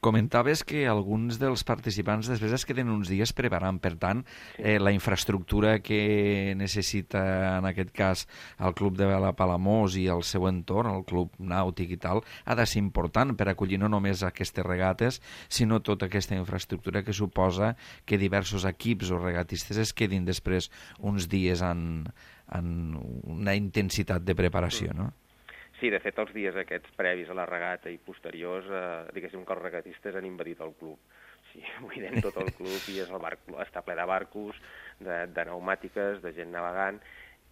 Comentaves que alguns dels participants després es queden uns dies preparant, per tant, sí. eh, la infraestructura que necessita, en aquest cas, el Club de Vela Palamós i el seu entorn, el Club Nàutic i tal, ha de ser important per acollir no només aquestes regates, sinó tota aquesta infraestructura que suposa que diversos equips o regatistes es quedin després uns dies en, en una intensitat de preparació, no? Sí, de fet, els dies aquests previs a la regata i posteriors, eh, diguéssim que els regatistes han invadit el club. Sí, buidem tot el club i és el bar, està ple de barcos, de, de pneumàtiques, de gent navegant,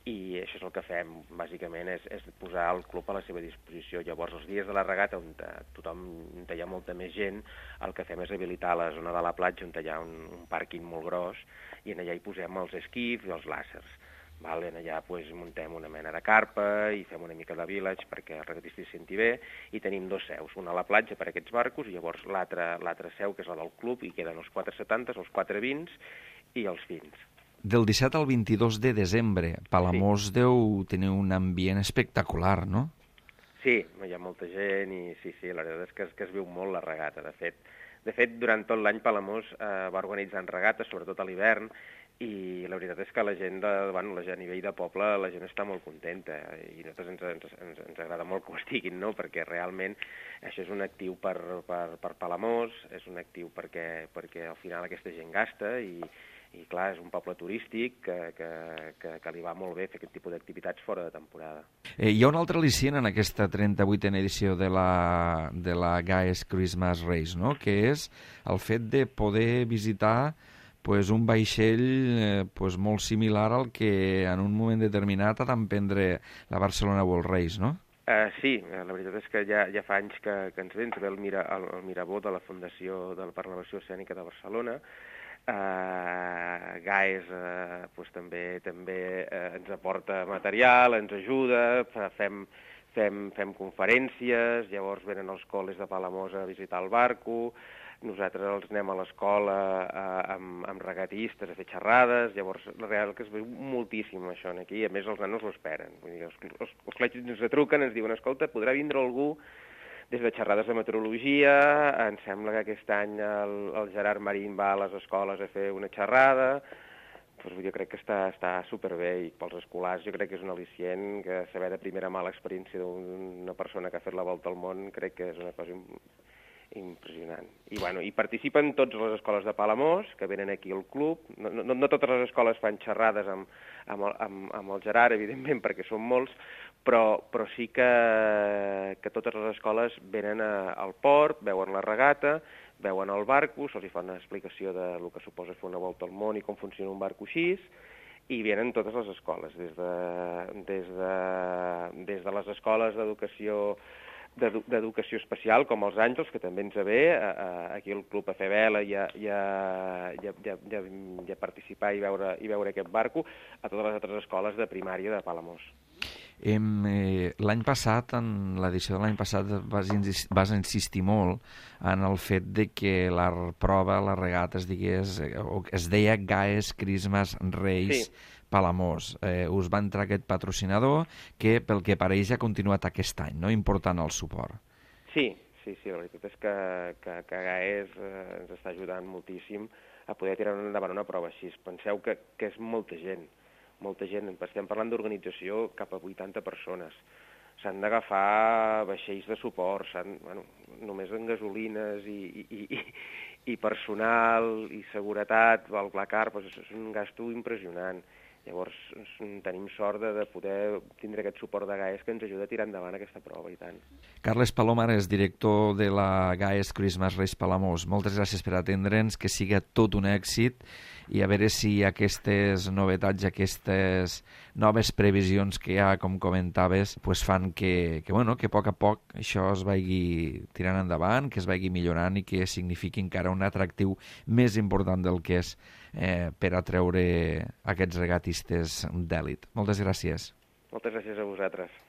i això és el que fem, bàsicament, és, és posar el club a la seva disposició. Llavors, els dies de la regata, on tothom, on hi ha molta més gent, el que fem és habilitar la zona de la platja, on hi ha un, un pàrquing molt gros, i en allà hi posem els esquifs i els làsers. Vale? Allà pues, muntem una mena de carpa i fem una mica de village perquè el regatista s'hi senti bé, i tenim dos seus, una a la platja per a aquests barcos i llavors l'altra seu, que és la del club, i queden els quatre setanta, els quatre vint i els fins. Del disset al vint-i-dos de desembre, Palamós sí. Deu tenir un ambient espectacular, no? Sí, hi ha molta gent i sí, sí, la veritat és que, que es viu molt la regata. De fet, de fet durant tot l'any Palamós eh, va organitzant regates, sobretot a l'hivern, i la veritat és que la gent, de, bueno, la gent a nivell de poble, la gent està molt contenta i a nosaltres ens, ens, ens, ens agrada molt que ho estiguin, no? Perquè realment això és un actiu per, per, per Palamós, és un actiu perquè, perquè al final aquesta gent gasta i, i clar, és un poble turístic que, que, que, que li va molt bé fer aquest tipus d'activitats fora de temporada. Eh, hi ha un altre al·licient en aquesta trenta-vuitena edició de la, de la Gaes Christmas Race, no? Que és el fet de poder visitar pues, un vaixell eh, pues, molt similar al que en un moment determinat ha d'emprendre la Barcelona World Race, no? Uh, sí, la veritat és que ja, ja fa anys que, que ens ve, ens ve el, mira, el, el Mirabó de la Fundació de la Preservació Escènica de Barcelona. Uh, Gaes uh, pues, també també uh, ens aporta material, ens ajuda, fem, fem, fem conferències, llavors venen els col·les de Palamós a visitar el barco, nosaltres els anem a l'escola uh, amb, amb regatistes a fer xerrades, llavors la real que es veu moltíssim això aquí, i a més els nanos ho esperen. Vull dir, els, els, els col·legis ens truquen, ens diuen, escolta, podrà vindre algú des de xerrades de meteorologia, em sembla que aquest any el, el Gerard Marín va a les escoles a fer una xerrada, doncs jo crec que està, està superbé, i pels escolars jo crec que és un al·licient, que saber de primera mà l'experiència d'una persona que ha fet la volta al món crec que és una cosa impressionant. I, bueno, i participen totes les escoles de Palamós, que venen aquí al club. No, no, no totes les escoles fan xerrades amb, amb, el, amb, amb el Gerard, evidentment, perquè són molts, però, però sí que, que totes les escoles venen a, al port, veuen la regata, veuen el barco, se'ls fa una explicació de lo que suposa fer una volta al món i com funciona un barco així, i venen totes les escoles, des de, des de, des de les escoles d'educació d'educació especial, com els Àngels, que també ens ve, aquí al club a fer vela i a, i, a, i, a, i, a, i a participar i veure, i veure aquest barco, a totes les altres escoles de primària de Palamós. Eh, l'any passat, en l'edició de l'any passat, vas, vas insistir molt en el fet de que la prova, la regata, es digués, es deia Gaes Christmas Race, sí. Palamós. Eh, us va entrar aquest patrocinador que, pel que pareix, ha continuat aquest any, no? Important el suport. Sí, sí, sí, la veritat és que, que, que Gaes eh, ens està ajudant moltíssim a poder tirar endavant una prova així. Penseu que, que és molta gent, molta gent. Estem parlant d'organització cap a vuitanta persones. S'han d'agafar vaixells de suport, bueno, només en gasolines i, i, i, i personal i seguretat, el Blacar, doncs és un gasto impressionant. Llavors tenim sort de, de poder tindre aquest suport de Gaes que ens ajuda a tirar endavant aquesta prova, i tant. Carles Palomar és director de la Gaes Christmas Race Palamós. Moltes gràcies per atendre'ns, que siga tot un èxit, i a veure si aquestes novetats, aquestes noves previsions que hi ha, com comentaves, pues fan que, que, bueno, que a poc a poc això es vagi tirant endavant, que es vagi millorant i que signifiqui encara un atractiu més important del que és eh, per atreure aquests regatistes d'èlit. Moltes gràcies. Moltes gràcies a vosaltres.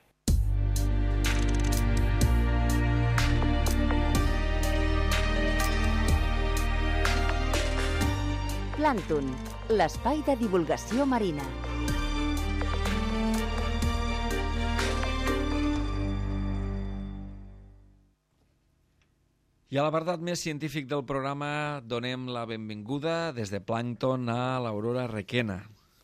Plàncton, l'espai de divulgació marina. I a l'apartat més científic del programa donem la benvinguda des de Plàncton a l'Aurora Requena,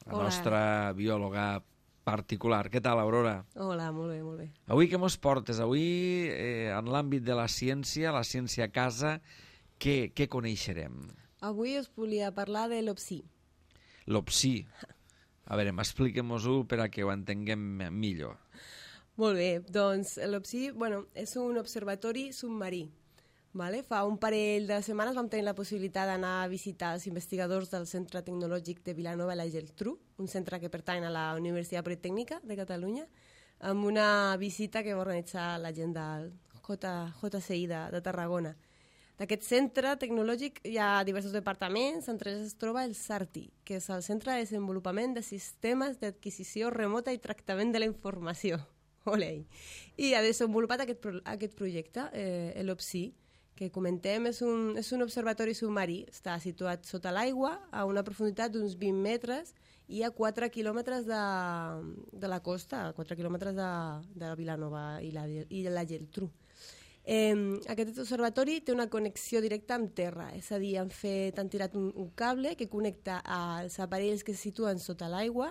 la Hola. Nostra biòloga particular. Què tal, Aurora? Hola, molt bé, molt bé. Avui què mos portes? Avui, eh, en l'àmbit de la ciència, la ciència a casa, què, què coneixerem? Avui us volia parlar de l'Opsí. L'Opsí. A veure, expliquem-nos-ho per a que ho entenguem millor. Molt bé, doncs l'Opsí, bueno, és un observatori submarí. Vale? Fa un parell de setmanes vam tenir la possibilitat d'anar a visitar els investigadors del Centre Tecnològic de Vilanova i la Geltrú, un centre que pertany a la Universitat Politècnica de Catalunya, amb una visita que va organitzar la gent del J, JCI de, de Tarragona. d'aquest centre tecnològic hi ha diversos departaments, entre ells es troba el SARTI, que és el Centre de Desenvolupament de Sistemes d'Adquisició Remota i Tractament de la Informació. Olei. I ha desenvolupat aquest, pro aquest projecte, eh, l'OPSI, que comentem, és un, és un observatori submarí. Està situat sota l'aigua, a una profunditat d'uns vint metres i a quatre quilòmetres de, de la costa, a quatre quilòmetres de, de Vilanova i la, i la Geltrú. Eh, aquest observatori té una connexió directa amb terra, és a dir, han, fet, han tirat un, un cable que connecta als aparells que se situen sota l'aigua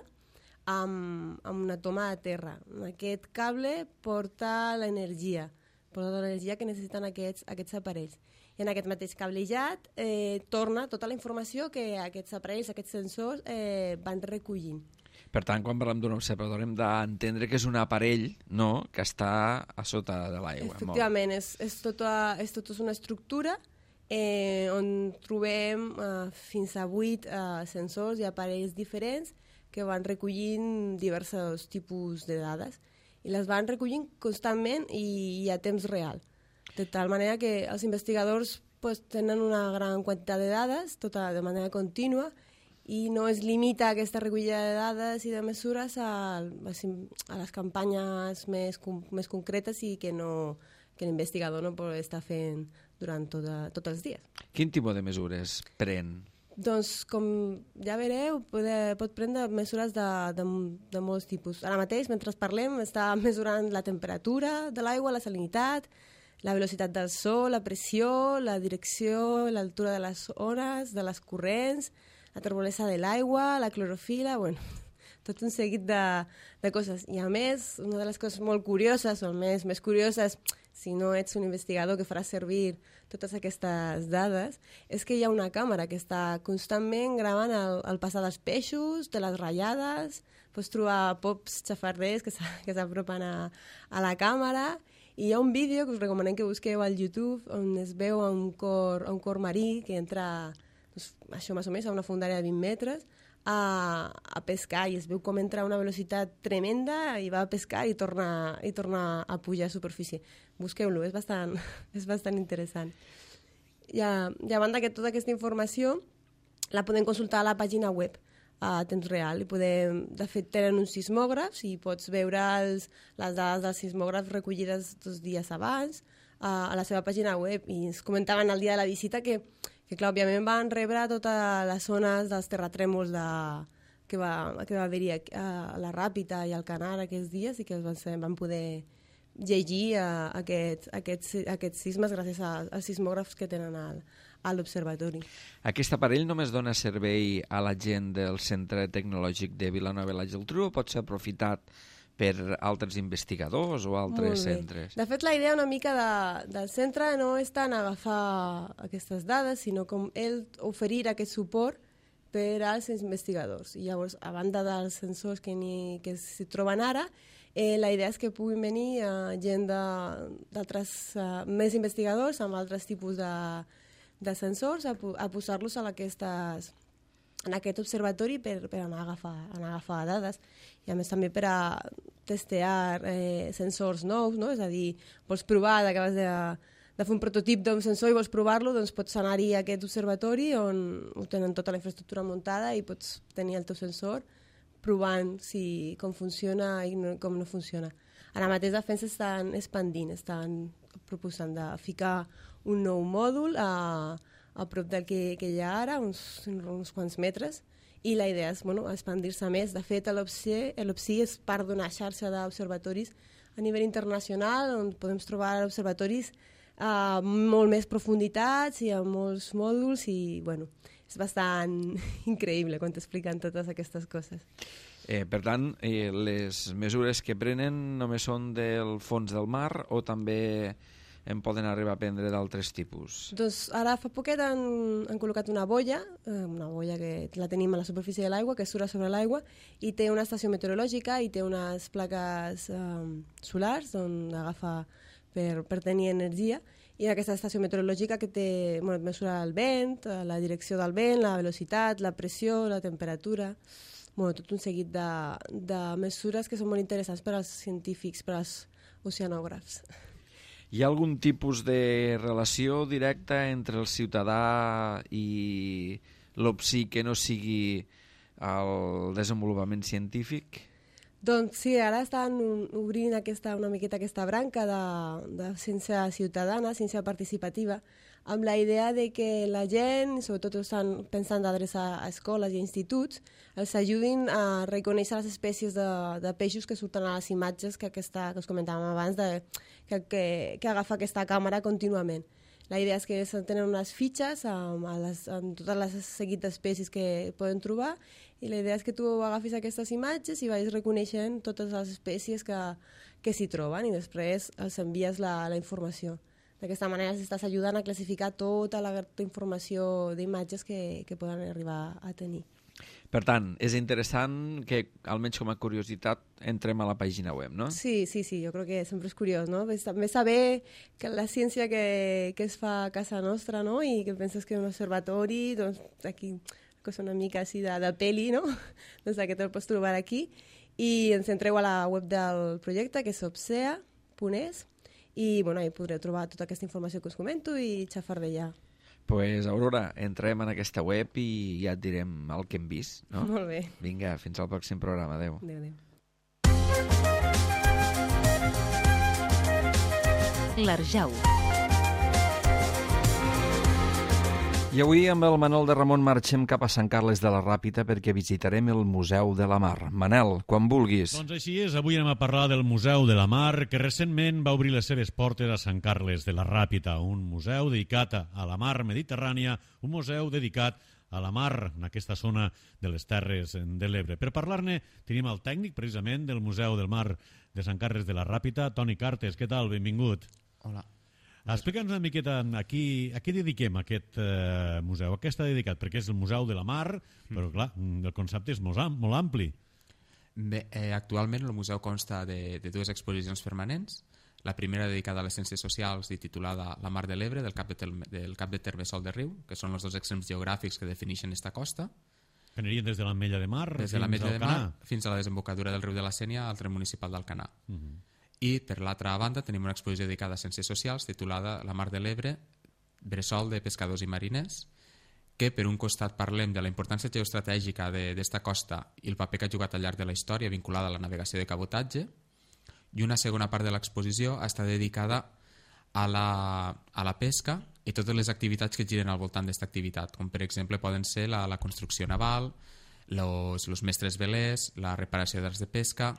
amb, amb una toma de terra. Aquest cable porta l'energia, porta l'energia que necessiten aquests, aquests aparells. I en aquest mateix cablejat eh, torna tota la informació que aquests aparells, aquests sensors eh, van recollint. Per tant, quan parlem d'un observatori hem d'entendre que és un aparell, no?, que està a sota de l'aigua. Efectivament, és, és, tota, és tota una estructura eh, on trobem eh, fins a vuit eh, sensors i aparells diferents que van recollint diversos tipus de dades i les van recollint constantment i, i a temps real. De tal manera que els investigadors pues, tenen una gran quantitat de dades, tota de manera contínua, i no es limita aquesta recollida de dades i de mesures a, a les campanyes més, més concretes i que, no, que l'investigador no pot estar fent durant tota, tots els dies. Quin tipus de mesures pren? Doncs, com ja veureu, pot, pot prendre mesures de, de, de molts tipus. Ara mateix, mentre parlem, està mesurant la temperatura de l'aigua, la salinitat, la velocitat del sol, la pressió, la direcció, l'altura de les ones, de les corrents, la turbolesa de l'aigua, la clorofila, bueno, tot un seguit de, de coses. I a més, una de les coses molt curioses, o més, més curioses, si no ets un investigador que farà servir totes aquestes dades, és que hi ha una càmera que està constantment gravant el, el passar dels peixos, de les ratllades, pots trobar pops xafarders que s'apropen a, a la càmera, i hi ha un vídeo que us recomanem que busqueu al YouTube on es veu a un cor, a un cor marí que entra... Doncs, això més o menys a una fondària de vint metres a, a pescar i es veu com entra a una velocitat tremenda i va a pescar i torna, i torna a pujar a superfície. Busqueu-lo, és bastant, és bastant interessant. I a, i a banda que tota aquesta informació la podem consultar a la pàgina web a temps real. I podem, de fet, tenen uns sismògrafs i pots veure els, les dades dels sismògrafs recollides dos dies abans a, a la seva pàgina web. I ens comentaven el dia de la visita que que clar, òbviament van rebre totes les zones dels terratrèmols de, que, va, que va haver-hi a, a la Ràpita i al Canar aquests dies i que van, ser, van poder llegir uh, aquests, aquests, aquests sismes gràcies a, als sismògrafs que tenen al, a l'observatori. Aquest aparell només dona servei a la gent del Centre Tecnològic de Vilanova i la Geltrú o pot ser aprofitat per altres investigadors o altres centres? De fet, la idea una mica de, del centre no és tant agafar aquestes dades, sinó com ell oferir aquest suport per als investigadors. I llavors, a banda dels sensors que, ni, que s'hi troben ara, eh, la idea és que puguin venir uh, gent d'altres, uh, més investigadors amb altres tipus de, de sensors a, a posar-los a aquestes... en aquest observatori per, per anar, a agafar, anar a agafar dades i a més també per a testear eh, sensors nous, no? És a dir, vols provar, acabes de, de fer un prototip d'un sensor i vols provar-lo, doncs pots anar-hi a aquest observatori on tenen tota la infraestructura muntada i pots tenir el teu sensor provant si, com funciona i no, com no funciona. Ara mateix de fet s'estan expandint, estan proposant de ficar un nou mòdul a a prop del que, que hi ha ara, uns, uns quants metres, i la idea és bueno, expandir-se més. De fet, l'OPSI és part d'una xarxa d'observatoris a nivell internacional, on podem trobar observatoris a molt més profunditats i a molts mòduls, i bueno, és bastant increïble quan t'expliquen totes aquestes coses. Eh, per tant, eh, les mesures que prenen només són del fons del mar o també en poden arribar a prendre d'altres tipus? Doncs ara fa poquet han, han col·locat una boia, una boia que la tenim a la superfície de l'aigua, que surt sobre l'aigua, i té una estació meteorològica i té unes plaques um, solars on agafa per, per tenir energia, i en aquesta estació meteorològica que té, bueno, mesura el vent, la direcció del vent, la velocitat, la pressió, la temperatura, bueno, tot un seguit de, de mesures que són molt interessants per als científics, per als oceanògrafs. Hi ha algun tipus de relació directa entre el ciutadà i l'O P S I que no sigui el desenvolupament científic? Doncs sí, ara estan obrint aquesta, una miqueta aquesta branca de, de ciència ciutadana, ciència participativa, amb la idea de que la gent, sobretot estan pensant d'adreçar a escoles i a instituts, els ajudin a reconèixer les espècies de, de peixos que surten a les imatges que, aquesta, que us comentàvem abans, de, que, que, que agafa aquesta càmera contínuament. La idea és que tenen unes fitxes amb, les, amb totes les seguit d'espècies que poden trobar, i la idea és que tu agafis aquestes imatges i vagis reconeixent totes les espècies que, que s'hi troben, i després els envies la, la informació. D'aquesta manera estàs ajudant a classificar tota la informació d'imatges que, que poden arribar a tenir. Per tant, és interessant que, almenys com a curiositat, entrem a la pàgina web, no? Sí, sí, sí, jo crec que sempre és curiós, no? També saber que la ciència que, que es fa a casa nostra, no? I que penses que és un observatori, doncs aquí, cosa una mica així de, de peli, no? Doncs aquest el pots trobar aquí. I ens entreu a la web del projecte, que és opsea punt es, i bueno, hi podreu trobar tota aquesta informació que us comento i xafardejar. Pues, Aurora, entrem en aquesta web i ja et direm el que hem vist, no? Molt bé. Vinga, fins al pròxim programa. Adéu. Adéu, adéu. L'Arjau. I avui amb el Manel de Ramon marxem cap a Sant Carles de la Ràpita perquè visitarem el Museu de la Mar. Manel, quan vulguis. Doncs així és, avui anem a parlar del Museu de la Mar, que recentment va obrir les seves portes a Sant Carles de la Ràpita, un museu dedicat a la mar Mediterrània, un museu dedicat a la mar en aquesta zona de les Terres de l'Ebre. Per parlar-ne tenim el tècnic precisament del Museu del Mar de Sant Carles de la Ràpita, Toni Cartes. Què tal? Benvingut. Hola. Explica'ns una miqueta a qui, a qui dediquem aquest eh, museu. A què està dedicat? Perquè és el Museu de la Mar, però clar, el concepte és molt, molt ampli. Bé, eh, actualment el museu consta de, de dues exposicions permanents. La primera dedicada a les ciències socials i titulada La Mar de l'Ebre, del cap de, tel, del cap de terme Sol de Riu, que són els dos extrems geogràfics que defineixen esta costa. Que anirien des de l'Ametlla de Mar des de l'Ametlla de Mar fins a la desembocadura del riu de la Sénia al tren municipal d'Alcanar. Uh -huh. I, per l'altra banda, tenim una exposició dedicada a ciències socials titulada La Mar de l'Ebre, bressol de pescadors i mariners, que per un costat parlem de la importància geoestratègica d'esta costa i el paper que ha jugat al llarg de la història vinculada a la navegació de cabotatge, i una segona part de l'exposició està dedicada a la, a la pesca i totes les activitats que giren al voltant d'esta activitat, com per exemple poden ser la, la construcció naval, los, los mestres velers, la reparació d'arts de pesca,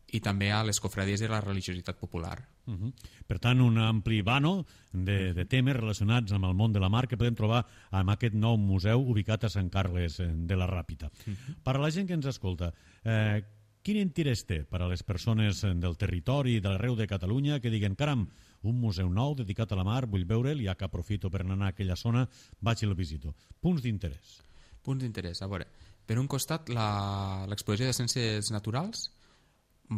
i també a les cofradies i la religiositat popular. Uh -huh. Per tant, un ampli vano de, de temes relacionats amb el món de la mar que podem trobar en aquest nou museu ubicat a Sant Carles de la Ràpita. Uh -huh. Per a la gent que ens escolta, eh, quin interès té per a les persones del territori de l'arreu de Catalunya que diguen, caram, un museu nou dedicat a la mar, vull veure'l, ja que aprofito per anar a aquella zona, vaig i el visito. Punts d'interès. Punts d'interès, a veure, per un costat l'exposició de ciències naturals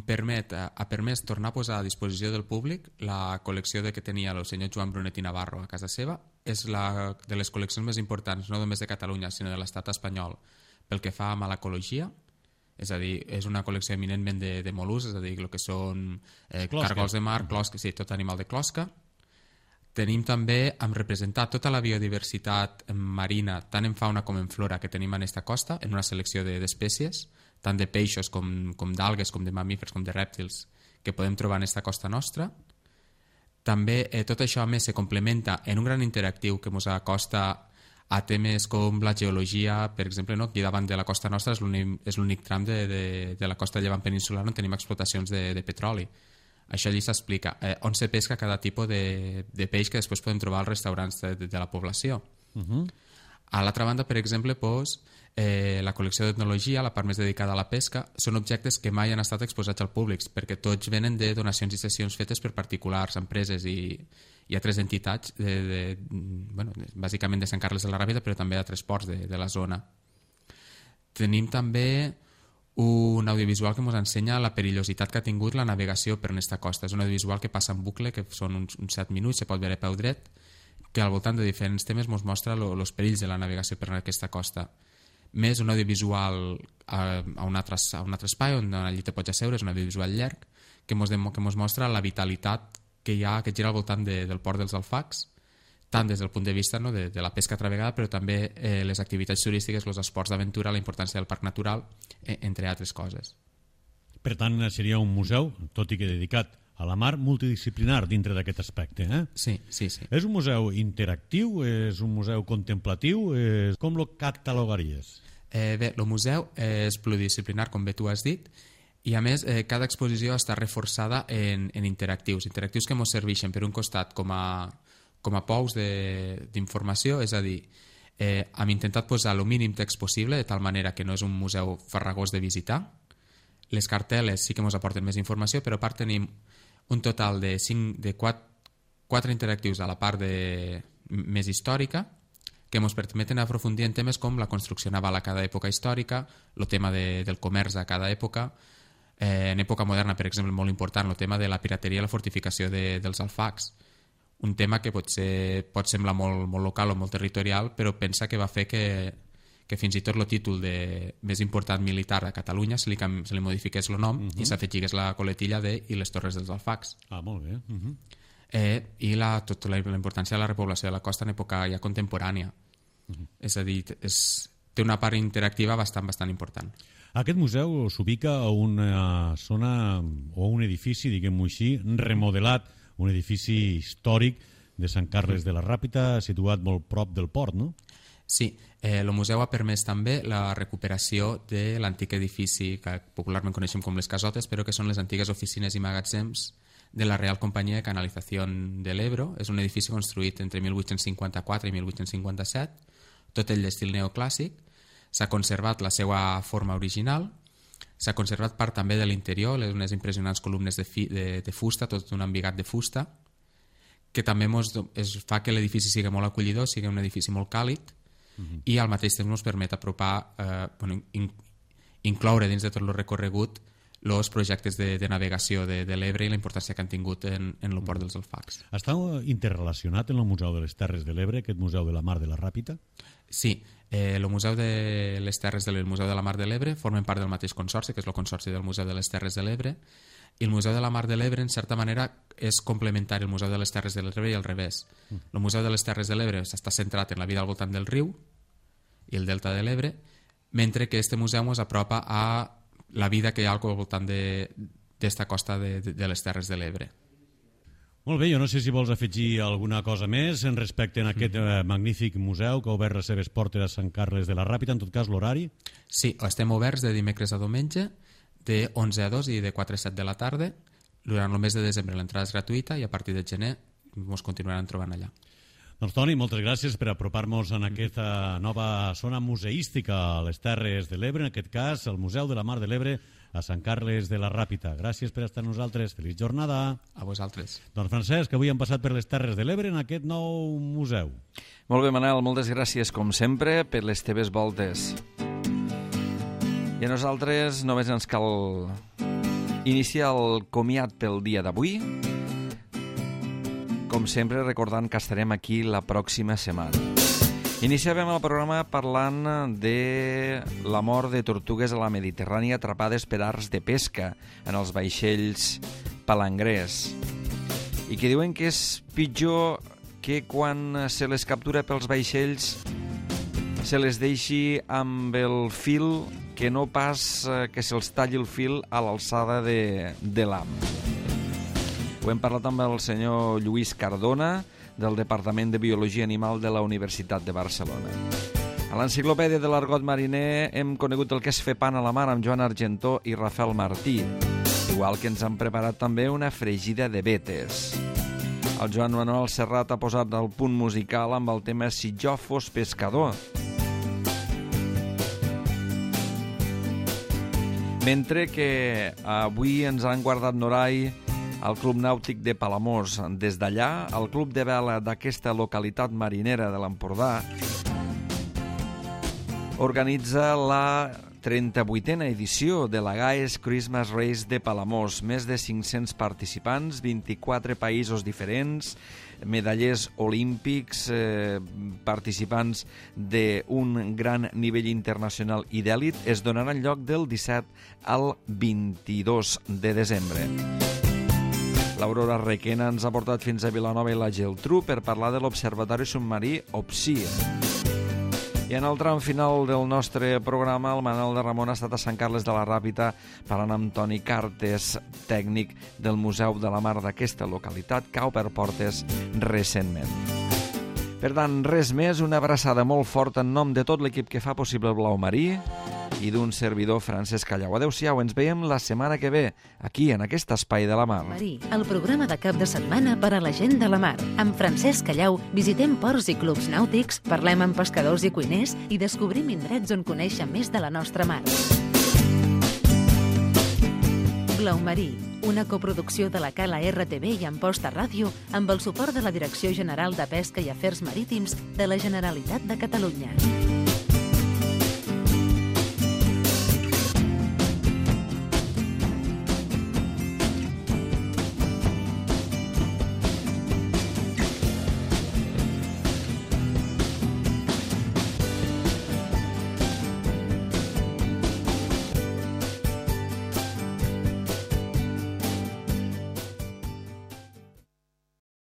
permet, ha permès tornar a posar a disposició del públic la col·lecció de que tenia el senyor Joan Brunet i Navarro a casa seva. És la de les col·leccions més importants, no només de Catalunya, sinó de l'estat espanyol, pel que fa a malacologia. És a dir, és una col·lecció eminentment de, de mol·luscs, és a dir, el que són eh, cargols de mar, closca, sí, tot animal de closca. Tenim també, hem representat tota la biodiversitat marina, tant en fauna com en flora, que tenim en aquesta costa, en una selecció d'espècies, tant de peixos com, com d'algues, com de mamífers, com de rèptils, que podem trobar en aquesta costa nostra. També eh, tot això a més se complementa en un gran interactiu que ens acosta a temes com la geologia, per exemple, no? Aquí davant de la costa nostra és l'únic tram de, de, de la costa llevant peninsular on tenim explotacions de, de petroli. Això allí s'explica eh, on se pesca cada tipus de, de peix que després podem trobar als restaurants de, de, de la població. Uh -huh. A l'altra banda, per exemple, doncs, eh, la col·lecció d'etnologia, la part més dedicada a la pesca, són objectes que mai han estat exposats al públic, perquè tots venen de donacions i sessions fetes per particulars, empreses i, i altres entitats, de, de, bueno, bàsicament de Sant Carles de la Ràpita, però també d'altres ports de, de la zona. Tenim també un audiovisual que ens ensenya la perillositat que ha tingut la navegació per aquesta costa. És un audiovisual que passa en bucle, que són uns, uns set minuts, se pot veure a peu dret, que al voltant de diferents temes ens mostra els perills de la navegació per aquesta costa. Més un audiovisual a, a, un, altre, a un altre espai on allí te pots asseure, és un audiovisual llarg, que ens que mos mostra la vitalitat que hi ha, que gira al voltant de, del port dels Alfacs, tant des del punt de vista, no, de, de la pesca travegada, però també eh, les activitats turístiques, els esports d'aventura, la importància del parc natural, eh, entre altres coses. Per tant, seria un museu, tot i que dedicat a la mar, multidisciplinar dintre d'aquest aspecte. Eh? Sí, sí, sí. És un museu interactiu? És un museu contemplatiu? És... Com lo catalogaries? Eh, bé, el museu és pluridisciplinar, com bé tu has dit, i a més eh, cada exposició està reforçada en, en interactius, interactius que ens serveixen per un costat com a, com a pous d'informació, és a dir, eh, hem intentat posar el mínim text possible de tal manera que no és un museu farragós de visitar. Les cartel·les sí que ens aporten més informació, però a part tenim un total de, cinc, de quatre interactius a la part de, més històrica, que ens permeten aprofundir en temes com la construcció naval a cada època històrica, el tema de, del comerç a cada època, eh, en època moderna, per exemple, molt important, el tema de la pirateria i la fortificació de, dels Alfacs, un tema que potser pot semblar molt, molt local o molt territorial, però pensa que va fer que, que fins i tot el títol de més important militar a Catalunya se li, se li modifiqués el nom uh -huh. i s'afegigués la coletilla de i les torres dels Alfacs. Ah, molt bé. Uh -huh. eh, I la, tot la, la importància de la repoblació de la costa en època ja contemporània. Uh -huh. És a dir, és, té una part interactiva bastant, bastant important. Aquest museu s'ubica a una zona o un edifici, diguem-ho així, remodelat, un edifici històric de Sant Carles de la Ràpita, situat molt prop del port, no? Sí, eh, el museu ha permès també la recuperació de l'antic edifici que popularment coneixem com les casotes, però que són les antigues oficines i magatzems de la Real Companyia de Canalització de l'Ebro. És un edifici construït entre mil vuit-cents cinquanta-quatre i mil vuit-cents cinquanta-set, tot ell d'estil neoclàssic. S'ha conservat la seva forma original, s'ha conservat part també de l'interior, unes impressionants columnes de, fi, de, de fusta, tot un embigat de fusta, que també mos, es fa que l'edifici sigui molt acollidor, sigui un edifici molt càlid, uh-huh. i al mateix temps ens permet apropar, eh, bueno, in, incloure dins de tot el recorregut els projectes de, de navegació de, de l'Ebre i la importància que han tingut en, en el port dels Alfacs. Està interrelacionat en el Museu de les Terres de l'Ebre, aquest Museu de la Mar de la Ràpita? Sí, eh, el Museu de les Terres de l'Ebre i el Museu de la Mar de l'Ebre formen part del mateix consorci, que és el consorci del Museu de les Terres de l'Ebre, i el Museu de la Mar de l'Ebre, en certa manera, és complementari al Museu de les Terres de l'Ebre i al revés. El Museu de les Terres de l'Ebre està centrat en la vida al voltant del riu i el delta de l'Ebre, mentre que este museu ens apropa a la vida que hi ha al voltant d'esta costa de, de, de les Terres de l'Ebre. Molt bé, jo no sé si vols afegir alguna cosa més en respecte a aquest eh, magnífic museu que ha obert les seves portes a Sant Carles de la Ràpita, en tot cas l'horari? Sí, estem oberts de dimecres a diumenge, de onze a dos i de quatre a set de la tarda. Durant el mes de desembre l'entrada és gratuïta i a partir de gener ens continuaran trobant allà. Doncs Toni, moltes gràcies per apropar-nos en aquesta nova zona museística a les Terres de l'Ebre, en aquest cas el Museu de la Mar de l'Ebre a Sant Carles de la Ràpita. Gràcies per estar amb nosaltres. Feliç jornada. A vosaltres. Doncs Francesc, avui hem passat per les Terres de l'Ebre en aquest nou museu. Molt bé, Manel, moltes gràcies, com sempre, per les teves voltes. I a nosaltres només ens cal iniciar el comiat pel dia d'avui, com sempre recordant que estarem aquí la pròxima setmana. Iniciàvem el programa parlant de la mort de tortugues a la Mediterrània atrapades per arts de pesca en els vaixells palangrers i que diuen que és pitjor que quan se les captura pels vaixells se les deixi amb el fil, que no pas que se'ls talli el fil a l'alçada de, de l'ham. Ho hem parlat amb el senyor Lluís Cardona, del Departament de Biologia Animal de la Universitat de Barcelona. A l'Enciclopèdia de l'Argot Mariner hem conegut el que és fer pan a la mar amb Joan Argentó i Rafael Martí, igual que ens han preparat també una fregida de vetes. El Joan Manuel Serrat ha posat el punt musical amb el tema Si jo fos pescador. Mentre que avui ens han guardat Norai al Club Nàutic de Palamós. Des d'allà, el club de vela d'aquesta localitat marinera de l'Empordà organitza la trenta-vuitena edició de la Gaes Christmas Race de Palamós. Més de cinc-cents participants, vint-i-quatre països diferents, medallers olímpics, eh, participants d'un gran nivell internacional i d'èlit, es donaran lloc del disset al vint-i-dos de desembre. L'Aurora Requena ens ha portat fins a Vilanova i la Geltrú per parlar de l'Observatori Submarí OPSI. I en el tram final del nostre programa, el Manel de Ramon ha estat a Sant Carles de la Ràpita parlant amb Toni Cartes, tècnic del Museu de la Mar d'aquesta localitat, que ha obert portes recentment. Per tant, res més, una abraçada molt forta en nom de tot l'equip que fa possible el Blau Marí i d'un servidor, Francesc Callau. Adéu-siau, ens veiem la setmana que ve, aquí, en aquest espai de la mar. Marí, el programa de cap de setmana per a la gent de la mar. Amb Francesc Callau visitem ports i clubs nàutics, parlem amb pescadors i cuiners i descobrim indrets on conèixer més de la nostra mar. Blau Marí, una coproducció de la Cala R T V i Amposta Ràdio amb el suport de la Direcció General de Pesca i Afers Marítims de la Generalitat de Catalunya.